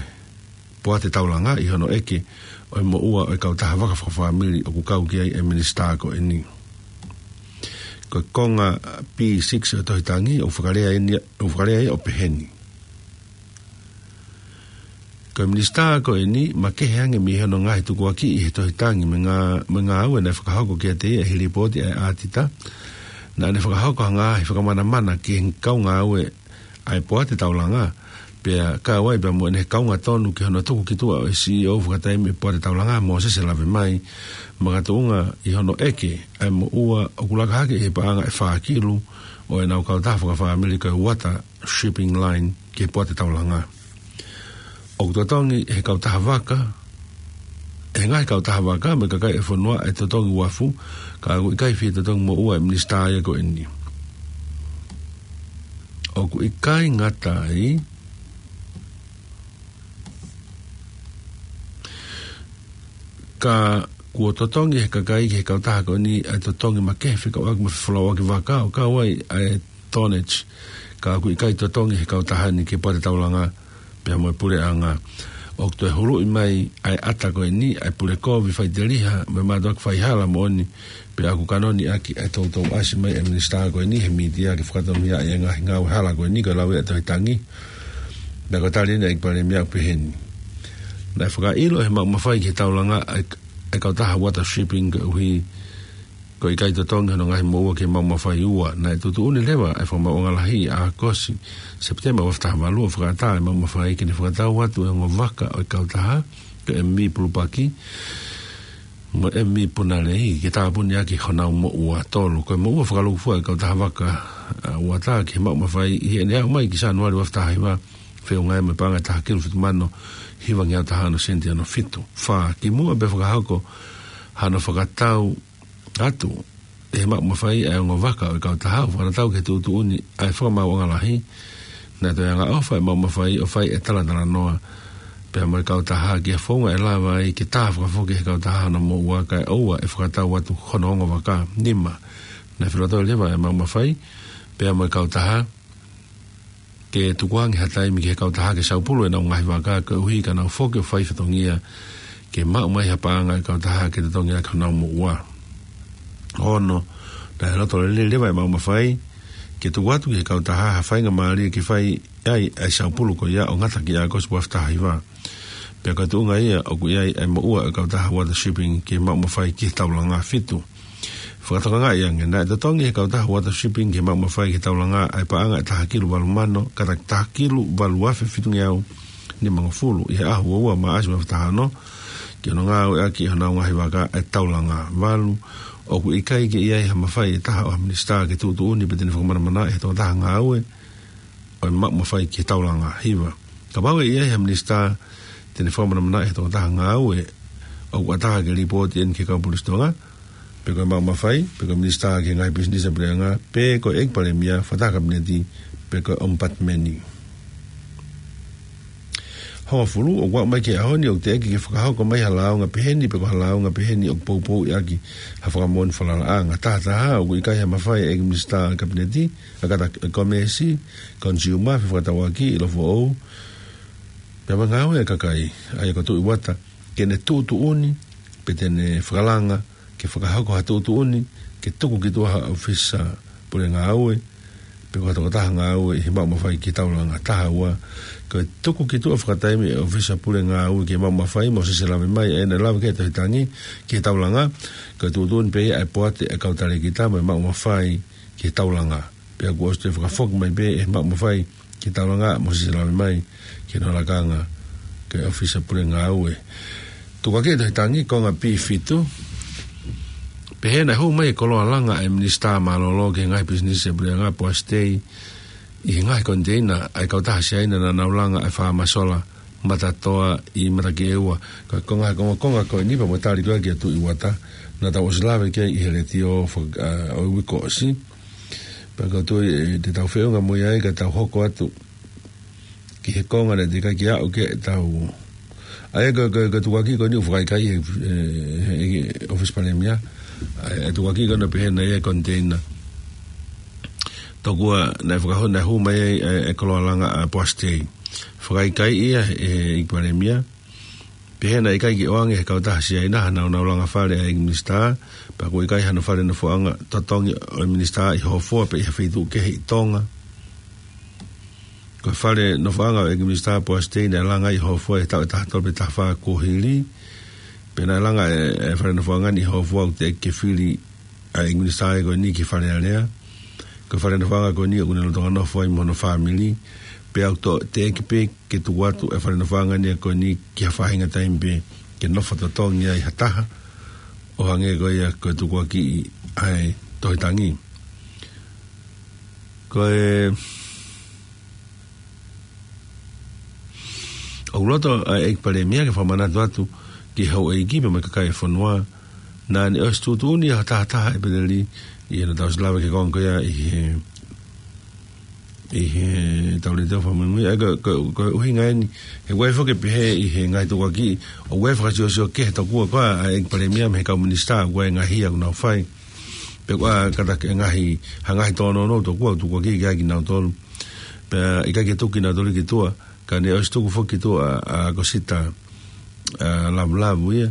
poate taulanga ʻi hono ʻeke ʻo e moʻua ʻo e kautaha vaka fakafāmili ʻoku kau ki ai ʻa e Minisitā ko eni. Ko e konga B six ʻo e tohi tangi, ʻoku fakalea ʻeni, ʻoku fakalea ia ʻo peheni: Ko e Minisitā ko eni, makehe ange mei hono ngaahi tukuakiʻi ʻi he tohi tangi mo e ngā-, mo e ngāue naʻe fakahoko kiate ia ʻi he lipooti ʻa e ʻātita, naʻa ne fakahoko ha ngaahi fakamanamana ki he kau ngāue ʻa e poate taulanga, pea kau ai pea mo ʻene kaunga tonu ki hono tuku ki tuʻa ʻo e CEO fakataimi ʻo e poate taulanga, Mōsese Lavemai, makatuʻunga ʻi hono ʻeke ʻa e moʻua ʻoku laka hake ʻi he paʻanga ʻe fā kilu ʻo ʻenau kautaha fakafāmili ko e Uata Shipping Line ki he poate taulanga. ʻOku totongi ʻe he kautaha vaka, ʻe he ngaahi kautaha vaka mo e kakai ʻo e fonua ʻa e totongi uafu, ka ʻoku ʻikai fie totongi moʻua ʻe he Minisitā ia ko eni. ʻOku ʻikai ngata ai, ka kuo totongi ʻe he kakai ki he kautaha ko eni ʻa e totongi makehe fekauʻaki mo e fefolauʻaki vaka, ʻo kau ai ʻa e tonnage, ka ʻoku ʻikai totongi ʻe he kautaha ni ki he poate taulanga pea mo e Puleʻanga. ʻOku toe huluʻi mai ʻa e ʻata ko eni ʻa e pule kovi, faʻiteliha mo e mātuʻaki faihala moʻoni, pea ʻoku kanoni ʻaki ʻa e toutou ʻasi mai ʻa e Minisitā ko eni he mītia ke fakatonuhiaʻi ʻa e ngaahi ngāue hala ko eni, ko e lau ia ʻa e tohi tangi. Naʻe ko e tali ʻeni ʻa e ʻEiki Palēmia ʻo peheni: Naʻe fakaʻilo ʻe he maʻu mafai ki he taulanga ʻa e, ʻa e kautaha Uata Shipping koeʻuhi ko e ʻikai totongi hono ngaahi moʻua ki he maʻu mafai. Ua, naʻe tuʻutuʻuni leva ʻa e fakamaauʻanga lahi ʻi ʻAokosi, Sepitema ua afe taha valu ʻo fakaʻatā ʻa e maʻu mafai ke ne fakatau atu ʻa e ongo vaka ʻo e kautaha ko e M V Pulupaki, mo Emi Punalei ke tāpuni ʻaki honau moʻua. Tolu, ko e moʻua fakalūkufua ʻa e kautaha vaka ʻa Uata ki he maʻu mafai ʻi heʻene aʻu mai ki Sānuali ua afe taha hiva, feʻunga mo e paʻanga ʻe taha kilu fitu mano hivangeau taha ono sēniti ono fitu. Fā, kimuʻa pea fakahoko hano fakatau atu ʻe he maʻu mafai ʻa e ongo vaka ʻo e kautaha ʻo fakatatau ki he tuʻutuʻuni ʻa e Fakamaauʻanga Lahi, naʻe toe angaʻofa e maʻu mafai ʻo fai e talatalanoa pea mo e kautaha ki he founga ʻe lava ai ke tā fakafoki ʻe he kautaha hono moʻua kae ʻoua ʻe fakatau atu hono ongo vaka. Nima, naʻe filo toe leva e maʻu mafai pea mo e kautaha ke tukuange ha taimi ki he kautaha ke saupulu ʻenau ngaahi vaka koeʻuhi ka nau foki ʻo fai fatongia ke maʻu mai ha paʻanga ʻa e kautaha ke totongi ʻaki honau moʻua. Ono, naʻe loto lelei leva e maʻu mafai ke tuku atu ki he kautaha ha faingamālie ke fai ai ʻa e saupulu ko ia ʻo ngata ki ʻAokosi ua afe taha hiva. Pea ko e tuʻunga ia ʻoku ʻi ai ʻa e moʻua ʻo e kautaha Uata Shipping ki he maʻu mafai ki he taulanga. Fitu, fakatokangaʻi ange, naʻe totongi ʻe he kautaha Uata Shipping ki he maʻu mafai ki he taulanga ʻa e paʻanga ʻe taha kilu valu mano, kātaki taha kilu valu afe fitungeau nimangofulu ʻi he ʻaho ua ua Maʻasi ua afe taha ono, ki hono ngāueʻaki ʻi honau ngaahi vaka ʻa e taulanga. Valu, ʻoku ʻikai ke ʻi ai ha mafai ʻe taha ʻo ha minisitā ke tuʻutuʻuni pe te ne fakamanamanaʻi ʻe he tokotaha ngāue ʻo e maʻu mafai ki he taulanga. Hiva, kapau ʻe ʻi ai ha minisitā te ne fakamanamanaʻi ʻe he tokotaha ngāue, ʻoku ʻatā ke lipooti eni ki he kau polisi Tonga, pe ko e maʻu mafai, pe ko e minisitā ki he ngaahi pisinisi ʻa e puleʻanga, pe ko e ʻEiki Palēmia, fakataha Kapineti, pe ko e ʻOmipatimeni. Hongofulu, ʻoku aʻu mai ki he ʻaho ni ʻoku teʻeki ke fakahoko mai ha lāunga peheni pe ko ha lāunga peheni ʻoku poupouʻi ʻaki ha fakamoʻoni falalaʻanga. Taha taha, ʻoku ʻikai ha mafai ʻa e ʻEiki Minisitā Kapineti, ʻa e kātaki Komēsi, Consumer, Fefakatauʻaki, ʻIlo Foʻou, pea mo e Ngāue ʻa e Kakai, ʻa ia ko Tuʻi Uata, ke ne tuʻutuʻuni pe te ne fakalanga ke fakahoko ha tuʻutuʻuni ke tuku ki tuʻa ha ʻōfisa pule ngāue pe ko ha tokotaha ngāue ʻi he maʻu mafai ki he taulanga. Taha ua, ko e tuku ki tuʻa fakataimi ʻa e ʻōfisa pule ngāue ki he maʻu mafai mo sese lave mai ʻa ia naʻe lave ki ai e tohi tangi ki he taulanga, ko e tuʻutuʻuni pē ia ʻa e poate ʻa e kau talēkita mo e maʻu mafai ki he taulanga. Pea kuo ʻosi toe fakafoki mai pē ʻe he maʻu mafai ki he taulanga mo sese lave mai ki hono lakanga ki he ʻōfisa pule ngāue. Tukuakiʻi e tohi tangi, konga P fitu. Pehē naʻe hū mai e koloa langa ʻa e Minisitā Mālōlō ki he Ngaahi Pisinisi ʻa e Puleʻanga, Poasi Tei, ʻi he ngaahi koniteina ʻa e kautaha Siaina naʻa nau langa ʻa e faama sola Matatoa ʻi Matakiʻeua. Ko e konga, konga, konga ko eni pea mo e tali ko ia kia Tuʻi Uata, naʻa tau ʻosi lave ki ai ʻi he letiō faka-, ʻa, ʻo e uike kuo ʻosi. Pea ʻoku ou tui ʻe, te tau feʻunga mo ia ai ka tau hoko atu ki he konga naʻe teʻeki ai ke aʻu ki ai ʻetau. ʻA ia ko, ko, ko e tukuakiʻi ko eni ʻoku fakaikai ʻe he, ʻe, ʻe he ʻōfisa Palēmia. ʻA ia e tukuakiʻi ko ena pehē naʻe ʻi ai e koniteina. Tokua naʻe fakahū, naʻe hū mai ai e, e koloa langa ʻa Poasi Tei. Fakaikai ia ʻe he ʻEiki Palēmia. Pehē naʻe ʻikai ke ʻoange ʻe he kautaha Siaina ha nāunau langa fale ʻa e ʻEiki Minisitā, pea ʻoku ʻikai hano fale nofoʻanga totongi ʻo e Minisitā ʻi Hōfoa pe ʻi ha feituʻu kehe ʻi Tonga. Ko e fale nofoʻanga ʻo e ʻEiki Minisitā Poasi Tei naʻe langa ʻi Hōfoa ʻi he taʻu ʻe taha tolu pe taha fā kuo hili. Pea naʻe langa e, e fale nofoʻanga ni ʻi Hōfoa ʻoku teʻeki ke fili ʻa e ʻEiki Minisitā ko eni ki Fale Alea. Ko e fale nofoʻanga ko eni ʻoku ne lolotonga nofo ai mo hono fāmili. Pea ʻoku toe teʻeki pē ke tuku atu e fale nofoʻanga ni ko eni ki ha faʻahinga taimi pē ke nofo totongi ai ha taha, ʻo hangē ko ia ko e tukuakiʻi ʻa e tohi tangi. Ko e ʻoku loto ʻa e ʻEiki Palēmia ke fakamanatu atu ki he houʻeiki pea mo e kakai e fonua, naʻa ne ʻosi tuʻutuʻuni ʻa e taha taha ʻEpeleli, ʻi heʻetau ʻosi lave ki he konga ko ia ʻi he, ʻi heʻetau letiō fakamuimui. ʻA ia ko, ko, ko e ʻuhinga eni, he ʻoku ʻi ai foki e pehē ʻi he ngaahi tukuakiʻi, ʻoku ʻi ai e fakasiosio kehe tokua ko ā ʻa e ʻEiki Palēmia mei he kau minisitā, ʻoku ʻi ai e ngaahi ia ʻoku nau fai. Pe ko e kātaki e ngaahi, ha ngaahi tōnounou tokua ʻoku tukuakiʻi ki ai kinautolu. Pea ʻikai ke tuku kinautolu ki tuʻa, ka ne ʻosi tuku foki ki tuʻa ʻa, ʻa ʻAkosita, ʻa, Lavulavu ia,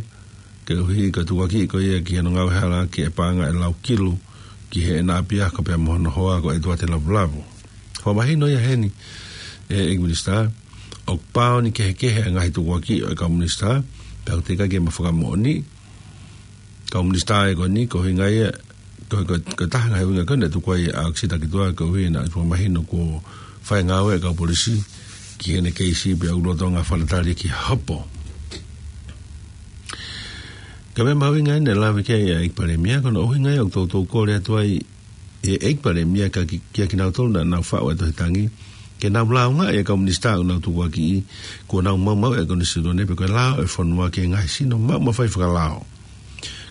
koeʻuhi ko e tukuakiʻi ko ia ki hono ngāuehala ki he paʻanga ʻe lau kilu ki heʻena ʻapiako pea mo hono hoa ko ʻEtuate Lavulavu. Fakamahino ia heni, ʻe, ʻEiki Minisitā, ʻoku pāoni kehekehe e ngaahi tukuakiʻi ʻo e kau minisitā, pea ʻoku teʻeki ai ke ma fakamoʻoni, kau minisitā ē ko eni, ko e ʻuhinga ia, ko, ko, ko e taha e ngaahi ʻuhinga ko ē naʻe tuku ai ʻa ʻAkosita ki tuʻa, koeʻuhi naʻe fakamahino kuo fai e ngāue e kau polisi ki heʻene keisi pea ʻoku lolotonga fakatatali ki hopo. Ka ko e mahuʻinga ʻeni ʻe lave ki ai ʻa e ʻEiki Palēmia, ko hono ʻuhinga ia ʻoku toutou kole atu ai ʻe he ʻEiki Palēmia ka ki, kia kinautolu naʻa nau faʻu ʻa e tohi tangi, ke nau lāungaʻi ʻa e kau minisitā ʻoku nau tukuakiʻi, kuo nau maumauʻi ʻa e konisitūtone pe ko e lao ʻo e fonua ki he ngaahi sino maʻu mafai fakalao.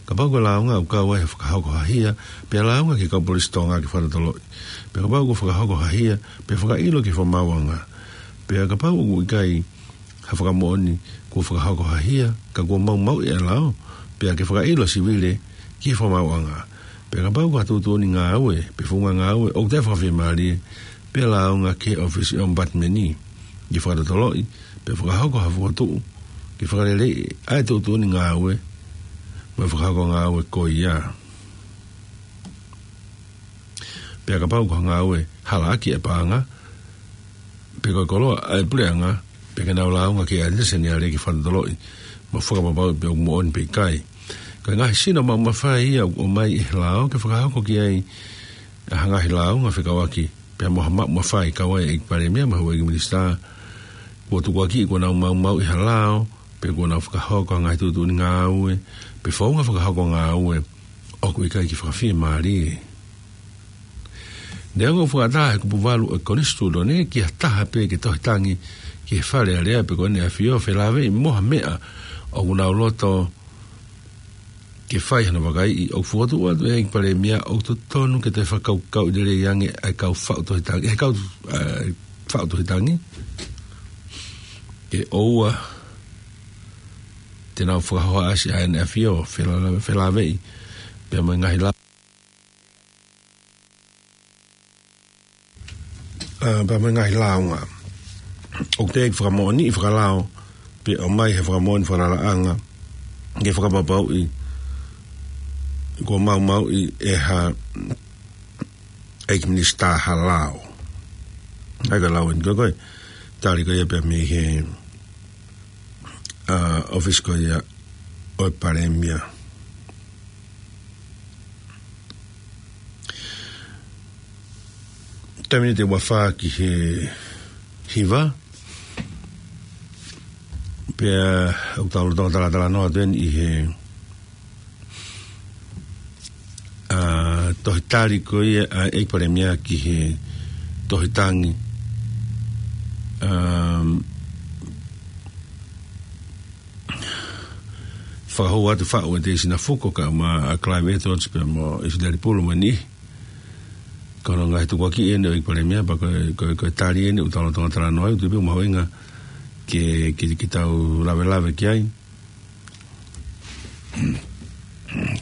Kapau ko e lāunga ʻoku kau ai ha fakahoko ha hia, pea lāunga ki he kau polisi Tonga ke fakatotoloʻi. Pea kapau kuo fakahoko ha hia, pea fakaʻilo ki he fakamaauʻanga. Pea kapau ʻoku ʻikai ha fakamoʻoni kuo fakahoko ha hia, ka kuo maumauʻi ʻa e lao, pea ke fakaʻilo sivile ki he fakamaauʻanga. Pea kapau ko ha tuʻutuʻuni ngāue, pe founga ngāue ʻoku taʻefakafiemālie, pea lāunga ki he ʻōfisi ʻo e ʻOmipatimeni ke fakatotoloʻi, pea fakahoko ha fokotuʻu ke fakaleleiʻi ʻa e tuʻutuʻuni ngāue mo e fakahoko ngāue ko ia. Pea kapau ko ha ngāue halaʻaki ʻa e paʻanga pe ko e koloa ʻa e puleʻanga, pea ke nau lāunga ki he ʻAteni Seniale ke fakatotoloʻi mo fakapapauʻi pe ʻoku moʻoni pe ʻikai. Ko e ngaahi sino maʻu mafai ia ʻoku ʻomai ʻe he lao ke fakahoko ki ai ha ngaahi lāunga fekauʻaki pea mo ha maʻu mafai, kau ai ʻa e ʻEiki Palēmia mo e houʻeiki minisitā kuo tukuakiʻi kuo nau maumauʻi ha lao, pe kuo nau fakahoko ha ngaahi tuʻutuʻuni ngāue pe founga fakahoko ngāue ʻoku ʻikai ke fakafiemālie. Neongo ʻoku fakataha ʻe he kupu valu ʻo e konisitūtone ki ha taha pē ke tohi tangi ki he Fale Alea pe ko ʻEne ʻAfio felāveʻi mo ha meʻa ʻoku nau loto ke fai hano vakaiʻi, ʻoku fokotuʻu atu ʻe he ʻEiki Palēmia ʻoku totonu ke toe fakakaukauʻi lelei ange ʻa e kau faʻu tohi tangi, ʻe he kau, ʻa e faʻu tohi tangi, ke ʻoua te nau fakahohaʻasi ʻa ʻEne ʻAfio felā-, felāveʻi pea mo e ngaahi lao ʻa, pea mo e ngaahi lāunga ʻoku teʻeki fakamoʻoniʻi fakalao, pe ʻomai ha fakamoʻoni fakalalaʻanga ke fakapapauʻi kuo maumauʻi ʻe ha ʻeiki minisitā ha lao. ʻA ia ko e lau ʻeni ko ē, ko e tali ko ia pea mei he, ʻa, ʻōfisi ko ia ʻo e Palēmia. Taimi ni ʻe ua fā ki he hiva, pea ʻoku tau lolotonga talatalanoa atu ʻeni ʻi he, ʻa, tohi tali ko ia ʻa e ʻEiki Palēmia ki he tohi tangi, ʻa, fakahū atu faʻu ʻe Teisina Fuko kae ʻumaʻā ʻa Clive Edwards pea mo ʻIsileli Pulu mo e niʻihi. Ko hono ngaahi tukuakiʻi ʻeni ʻo e ʻEiki Palēmia, pea ko e, ko e, ko e tali ʻeni ʻoku tau lolotonga talanoa ai, ʻoku ou tui pē ʻoku mahuʻinga ke, ke, ke tau lavelave ki ai.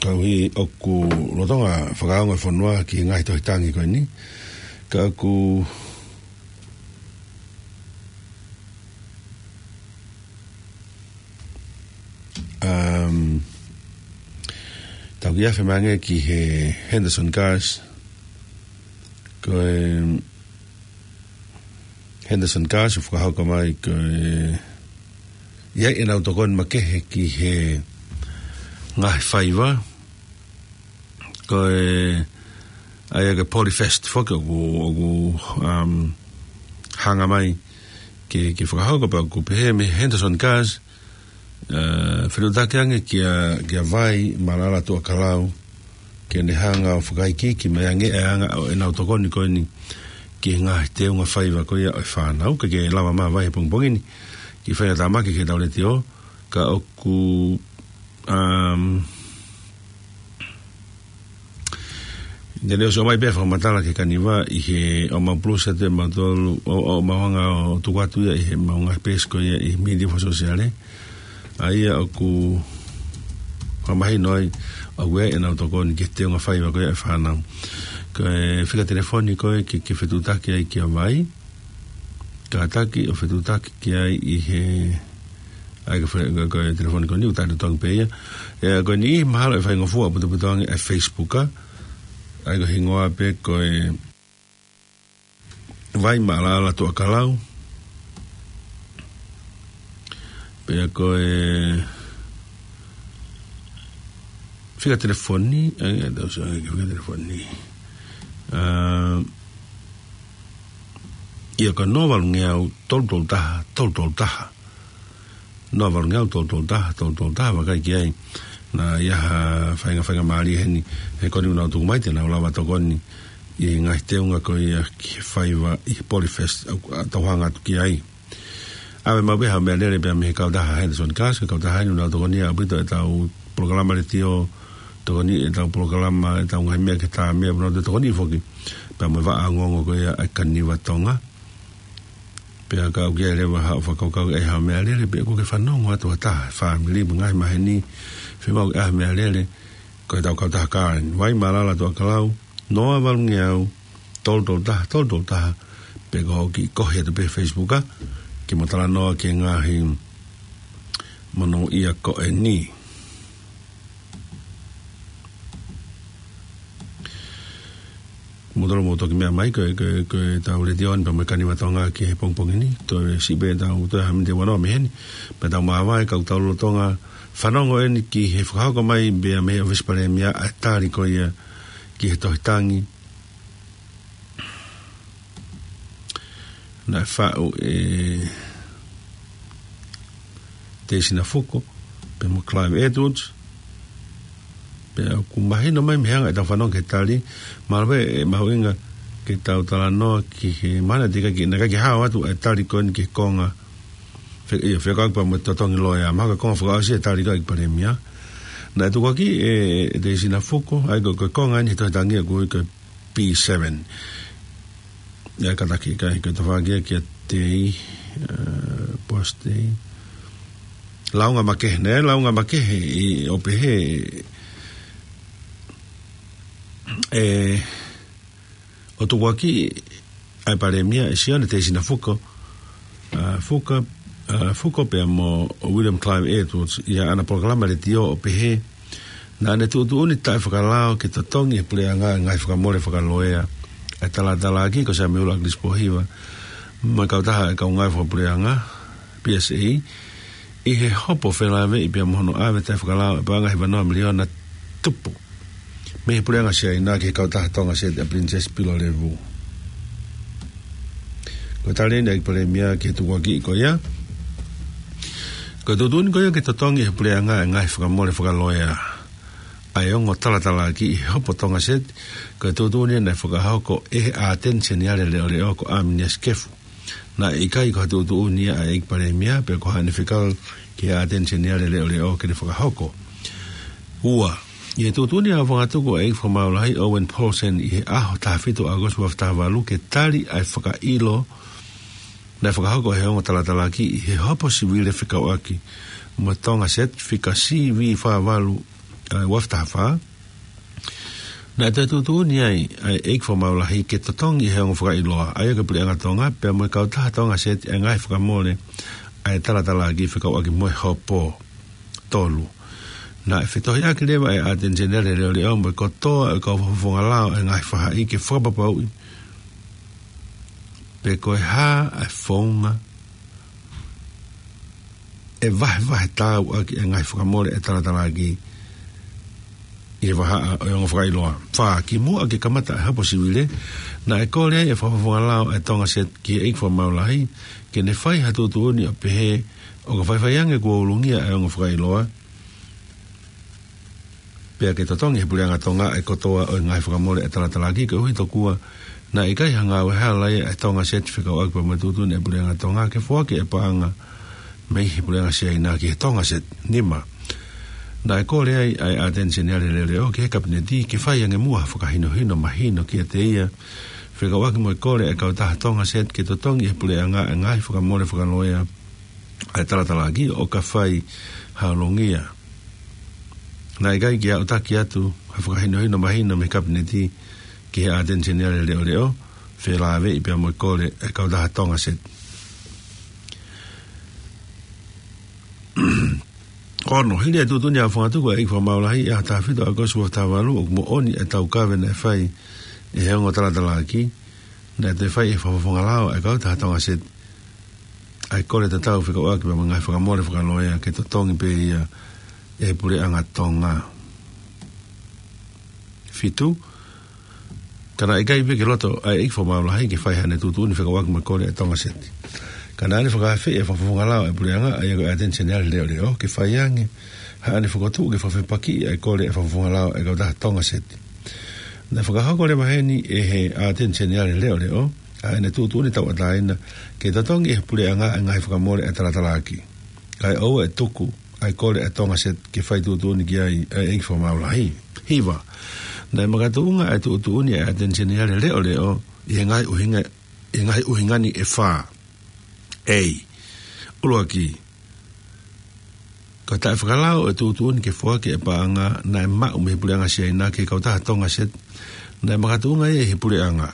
Koeʻuhi ʻoku lolotonga fakaongo e fonua ki he ngaahi tohi tangi ko ʻeni. Ka ʻoku Um, tau kiʻi afe mai ange ki he Henderson Gas. Ko e Henderson Gas ʻoku fakahoko mai ko e ʻi ai ʻenau tokoni makehe ki he ngaahi faiva. Ko e, ʻa ia ko e Polyfest foki ʻoku, ʻoku, um, hanga mai ke, ke fakahoko pea ʻoku pehē mei Henderson Gas, ʻa, fetuʻutaki ange kia, kia Vai Maʻalaʻala Tuʻakalau, ke ne hanga ʻo fakaikiiki mai ange ʻa e anga ʻo ʻenau tokoni ko ʻeni ki he ngaahi teunga faiva ko ia ʻo e fānau, ke, ke lava mai Vai he pongipongi ni, ke fai ha tāmaki ki heʻetau letiō, ka ʻoku, um, Naʻe ʻosi ʻomai pē fakamatala ki he kaniva ʻi he ʻomai pulusa te mautolu, ʻo, ʻomai anga ʻo tuku atu ia ʻi he maʻu ngaahi peesi ko ia ʻi he mītia fakasōsiale. ʻA ia ʻoku fakamahino ai, ʻoku ʻi ai ʻenau tokoni ki he teunga faiva ko ia ʻo e fānau. Ko e fika telefoni ko ē ke, ke fetuʻutaki ai kia Vai. Kātaki ʻo fetuʻutaki ki ai ʻi he, ʻa ia ko e fe-, ko e, ko e telefoni ko eni ʻoku tali tongi pē ia. ʻE, ko eni mahalo ʻe faingofua ʻo putoputo ange ʻa e Facebook, ʻa ia ko e hingoa pē ko e Vai Maʻalaʻala Tuʻakalau. Pea ko e fika telefoni, ʻa ia, tau sio ange ki he fika telefoni. ʻA, ʻa ia ko e noa valu ngeau tolu tolu taha, tolu tolu taha. Noa valu ngeau tolu tolu taha, tolu tolu taha, vakai ki ai. Naʻe ʻi ai ha fainga, faingamālie heni, he ko eni ʻoku nau tuku mai te nau lava tokoni ʻi he ngaahi teunga ko ia ki he faiva ʻi he Polyfest, ʻoku tau hanga atu ki ai. ʻAve maʻu pē ha meʻalele pea mei he kautaha Henderson Gas, ko e kautaha eni ʻoku nau tokoni ʻaupito ʻetau polokalama letiō, tokoni ʻetau polokalama, ʻetau ngaahi meʻa ke tā meʻa, ʻoku nau tokoni foki pea mo e vaʻa ongoongo ko ia ʻa e Kaniva Tonga. Pea ka ʻoku ʻi ai leva haʻo fakakaukau ʻe ʻi ai ha meʻalele, pea ʻoku ke fanongo atu ha taha, fāmili mo e ngaahi maheni, fiemaʻu ke ʻi ai ha meʻalele, ko ʻetau kautaha Karen, Vai Malala Tuʻakalau, noa valungeau, tolu tolu taha, tolu tolu taha, pe ko e kiʻi kohi atu pē Facebook, ke mo talanoa ki he ngaahi monūʻia ko eni. Mou tolo mou toki meʻa mai, ko e, ko e, ko ʻetau letiō ni pea mo e Kaniva Tonga ki he pongipongi ni, toe siʻi pē ʻetau toe ha miniti ʻe ua noa mei heni, pea tau māvae ka ʻoku tau lolotonga fanongo eni ki he fakahoko mai pea mei he ʻŌfisi Palēmia ʻa e tali ko ia ki he tohi tangi naʻe faʻu ʻe Teisina Fuko, pea mo Clive Edwards, pea ʻoku mahino mai mei he anga ʻetau fanongo ki he tali, mahalo pē ʻe mahuʻinga ke tau talanoa ki he mana tika ki, naʻe ʻikai ke hao atu ʻa e tali ko eni ki he konga, fe-, ʻio, fekauʻaki pea mo e totongi loea, mahalo ko e konga fakaʻosi ʻa e tali ko ia ki he Palēmia. Naʻe tukuakiʻi ʻe, ʻe Teisina Fuko, ʻa ia ko, ko e konga eni he tohi tangi ʻoku ui ko e B seven. ʻIa, kātaki, ka ʻikai ko e tafaʻaki ia kia Tei, ʻa, Boss Tei. Launga makehe, ne, launga makehe ʻi ʻo pehē, ʻe, ʻo tukuakiʻi ʻa e Palēmia ʻe Sione Teisina Fuko, ʻa, Fuka, ʻa, Fuko pea mo William Clive Edwards, ʻi haʻana polokalama letiō ʻo pehē, naʻa ne tuʻutuʻuni taʻefakalao ke totongi ʻe he puleʻanga ʻa e ngaahi fakamole fakaloea ʻa e talatalaaki ko Samiula ʻAkilisi Pōhiva, mo e kautaha ʻa e kau ngāue fakapuleʻanga, P S A, ʻi he hopo felāveʻi pea mo hono ʻave taʻefakalao ʻa e paʻanga ʻe hiva noa miliona tupu mei he puleʻanga Siaina ki he kautaha Tonga Seti ʻa e Princess Pilolevu. Ko e tali eni ʻa e ʻEiki Palēmia ki he tukuakiʻi ko ia. Ko e tuʻutuʻuni ko ia ke totongi ʻe he puleʻanga ʻa e ngaahi fakamole fakaloea ʻa e ongo talatalaaki ʻi he hopo Tonga Seti, ko e tuʻutuʻuni naʻe fakahoko ʻe he ʻAteni Seniale Leʻoleʻo ko ʻAminiasi Kefu. Naʻe ʻikai ko ha tuʻutuʻuni ia ʻa e ʻEiki Palēmia, pe ko haʻane fekau ki he ʻAteni Seniale Leʻoleʻo ke ne fakahoko. Ua, ʻi he tuʻutuʻuni ʻa e Aofangatuku ʻa e ʻEiki Fakamaau Lahi Owen Paulsen ʻi he ʻaho taha fitu ʻAokosi ua afe taha valu ke tali ʻa e fakaʻilo naʻe fakahoko ʻe he ongo talatalaaki ʻi he hopo sivile fekauʻaki mo Tonga Seti fika C V fā valu, ʻa, ua afe taha fā. Naʻe toe tuʻutuʻuni ai ʻa e ʻEiki Fakamaau Lahi ke totongi ʻe he ongo fakaʻiloa, ʻa ia ko e Puleʻanga Tonga, pea mo e kautaha Tonga Seti ʻa e ngaahi fakamole ʻa e talatalaaki fekauʻaki mo e hopo. Tolu, naʻe fetohiʻaki leva ʻe he ʻAteni Seniale Leʻoleʻo mo e kotoa ʻo e kau fakafofonga lao ʻa e ngaahi faʻahi ke fakapapauʻi pe ko e hā ʻa e founga ʻe vahevahe taau ʻaki ʻa e ngaahi fakamole ʻa e talatalaaki ʻi he vahaʻa ʻo e ongo fakaʻiloa. Fā, kimuʻa ke kamata ʻa e hopo sivile, naʻe kole ai ʻe he fakafofonga lao ʻa e Tonga Seti ki he ʻEiki Fakamaau Lahi ke ne fai ha tuʻutuʻuni ʻo pehē ʻoka faifai ange kuo ulungia ʻa e ongo fakaʻiloa, pea ke totongi ʻe he Puleʻanga Tonga ʻa e kotoa ʻo e ngaahi fakamole ʻa e talatalaaki, koeʻuhi tokua naʻe ʻikai ha ngāue hala ia ʻa e Tonga Seti fekauʻaki pea mo e tuʻutuʻuni ʻa e Puleʻanga Tonga ke foaki ʻa e paʻanga mei he Puleʻanga Siaina ki he Tonga Seti. Nima, naʻe kole ai ʻa e ʻAteni Seniale Leʻoleʻo ki he Kapineti ke fai ange muʻa ha fakahinohino mahino kiate ia fekauʻaki mo e kole ʻa e kautaha Tonga Seti ke totongi ʻe he puleʻanga ʻa e ngaahi fakamole fakaloea ʻa e talatalaaki ʻoka fai ha ulungia. Naʻe ʻikai ke aʻutaki atu ha fakahinohino mahino mei he Kapineti ki he ʻAteni Seniale Leʻoleʻo, felāveʻi pea mo e kole ʻa e kautaha Tonga Seti. Ono, hili ʻa e tuʻutuʻuni ʻa e Aofangatuku ʻa e ʻEiki Fakamaau Lahi ʻi he ʻaho taha fitu ʻAokosi ua afe taha valu, ʻoku moʻoni ʻa e taukaveʻi naʻe fai ʻe he ongo talatalaaki, naʻe toe fai ʻe he fakafofonga lao ʻa e kautaha Tonga Seti ʻa e kole tatau fekauʻaki pea mo e ngaahi fakamole fakaloea ke totongi pē ia ʻe he Puleʻanga Tonga. Fitu, ka naʻe ʻikai pē ke loto ʻa e ʻEiki Fakamaau Lahi ke fai haʻane tuʻutuʻuni fekauʻaki mo e kole ʻa e Tonga Seti, ka naʻa ne fakaafeʻi ʻa e fakafofonga lao ʻa e puleʻanga, ʻa ia ko e ʻAteni Seniale Leʻoleʻo, ke fai ange Haʻane fokotuʻu ke fakafepakiʻi ʻa e kole ʻa e fakafofonga lao ʻa e kautaha Tonga Seti. Naʻe fakahoko leva heni ʻe he ʻAteni Seniale Leʻoleʻo ʻa ʻene tuʻutuʻuni tauʻatāina ke totongi ʻe he puleʻanga ʻa e ngaahi fakamole ʻa e talatalaaki, kae ʻoua ʻe tuku ʻa e kole ʻa e Tonga Seti ke fai tuʻutuʻuni ki ai ʻa e ʻEiki Fakamaau Lahi. Hiva, naʻe makatuʻunga ʻa e tuʻutuʻuni ʻa e ʻAteni Seniale Leʻoleʻo ʻi he ngaahi ʻuhinga, ʻi he ngaahi ʻuhinga ni ʻe fā. A, ʻuluaki, ko e taʻefakalao ʻo e tuʻutuʻuni ke foaki ʻa e paʻanga naʻe maʻu mei he puleʻanga Siaina ki he kautaha Tonga Seti, naʻe makatuʻunga ia ʻi he puleʻanga,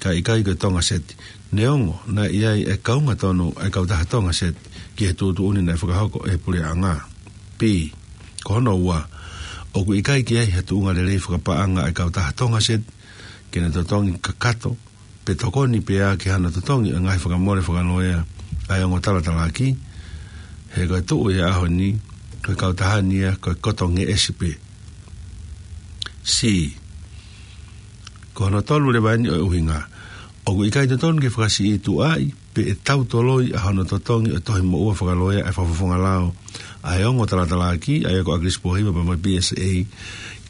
kae ʻikai ko e Tonga Seti. Neongo naʻe ʻi ai ʻa e kaunga tonu ʻa e kautaha Tonga Seti ki he tuʻutuʻuni naʻe fakahoko ʻe he puleʻanga. B, ko hono ua, ʻoku ʻikai ke ʻi ai ha tuʻunga lelei fakapaʻanga ʻa e kautaha Tonga Seti ke ne totongi kakato pe tokoni pē ia ki hano totongi ʻa e ngaahi fakamole fakaloea ʻa e ongo talatalaaki, he ko e tuʻu ʻi he ʻaho ni, ko e kautaha ni ia ko e koto ngeʻesi pē. C, ko hono tolu leva eni ʻo e ʻuhinga, ʻoku ʻikai totonu ke fakasiʻituʻaʻi pe ʻe tautoloi ʻa hono totongi ʻo e tohi moʻua fakaloea ʻa e fakafofonga lao ʻa e ongo talatalaaki, ʻa ia ko ʻAkilisi Pōhiva pea mo e B S A,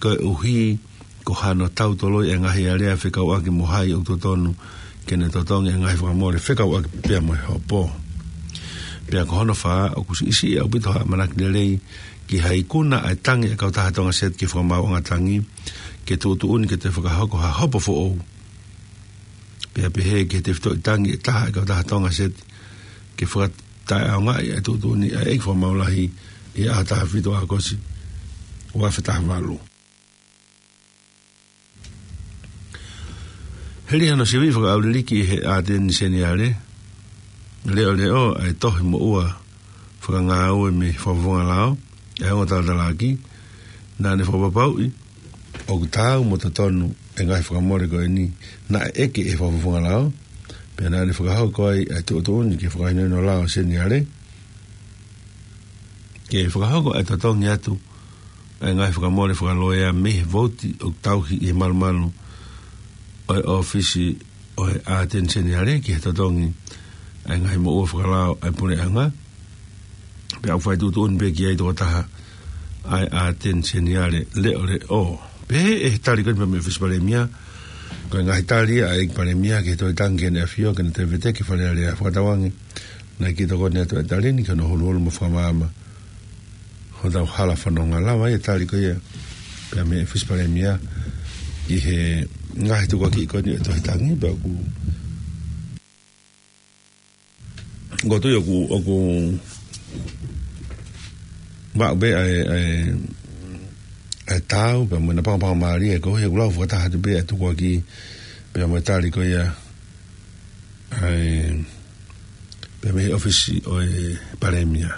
koeʻuhi ko hano tautoloi ʻa e ngaahi alea fekauʻaki mo hai ʻoku totonu ke ne totongi ʻa e ngaahi fakamole fekauʻaki pea mo e hopo. Pea ko hono fā, ʻoku siʻisiʻi ʻaupito ha ʻamanaki lelei ki ha ikuna ʻa e tangi ʻa e kautaha Tonga Seti ki he Fakamaauʻanga Tangi ke tuʻutuʻuni ke toe fakahoko ha hopo foʻou, pea pehē ki he tefitoʻi tangi ʻe taha ʻa e kautaha Tonga Seti ke fakataʻeʻaongaʻi ʻa e tuʻutuʻuni ʻa e ʻEiki Fakamaau Lahi ʻi he ʻaho taha fitu ʻo ʻAokosi, ua afe taha valu. Hili hano sivi fakaʻauliliki ʻe he ʻAteni Seniale Leʻoleʻo ʻa e tohi moʻua fakangāue mei he fakafofonga lao ʻa e ongo talatalaaki, naʻa ne fakapapauʻi ʻoku taau mo totonu ʻa e ngaahi fakamole ko eni naʻe ʻeke ʻe he fakafofonga lao, pea naʻa ne fakahoko ai ʻa e tuʻutuʻuni ki he Fakahinohino Lao Seniale ke fakahoko ʻa e totongi atu ʻa e ngaahi fakamole fakaloea mei he vouti ʻoku tauhi ʻi he malumalu ʻo e ʻōfisi ʻo e ʻAteni Seniale ki he totongi ʻa e ngaahi moʻua fakalao ʻa e puleʻanga, pea ʻoku fai tuʻutuʻuni pē ki ai tokotaha ʻa e ʻAteni Seniale Leʻoleʻo. Pehē ʻe he tali ko eni pea mei he ʻŌfisi Palēmia, ko e ngaahi tali ʻa e ʻEiki Palēmia ki he Tohi Tangi ki Heʻene ʻAfio ke ne toe veteki Fale Alea, fakatauange naʻe kiʻi tokoni atu ʻa e tali ni ki hono huluhulu mo fakamaama hotau hala fononga. Lava ʻa e tali ko ia pea mei he ʻŌfisi Palēmia ki he ngaahi tukuakiʻi ko eni ʻo e Tohi Tangi, pea ʻoku, ʻoku ou tui ʻoku, ʻoku maʻu pē ʻa e, ʻa e, ʻa e taau pea mo ʻena pangopango mālie, koeʻuhi ʻoku lau fakataha atu pē ʻa e tukuakiʻi pea mo e tali ko ia ʻa e, pea mei he ʻŌfisi ʻo e Palēmia.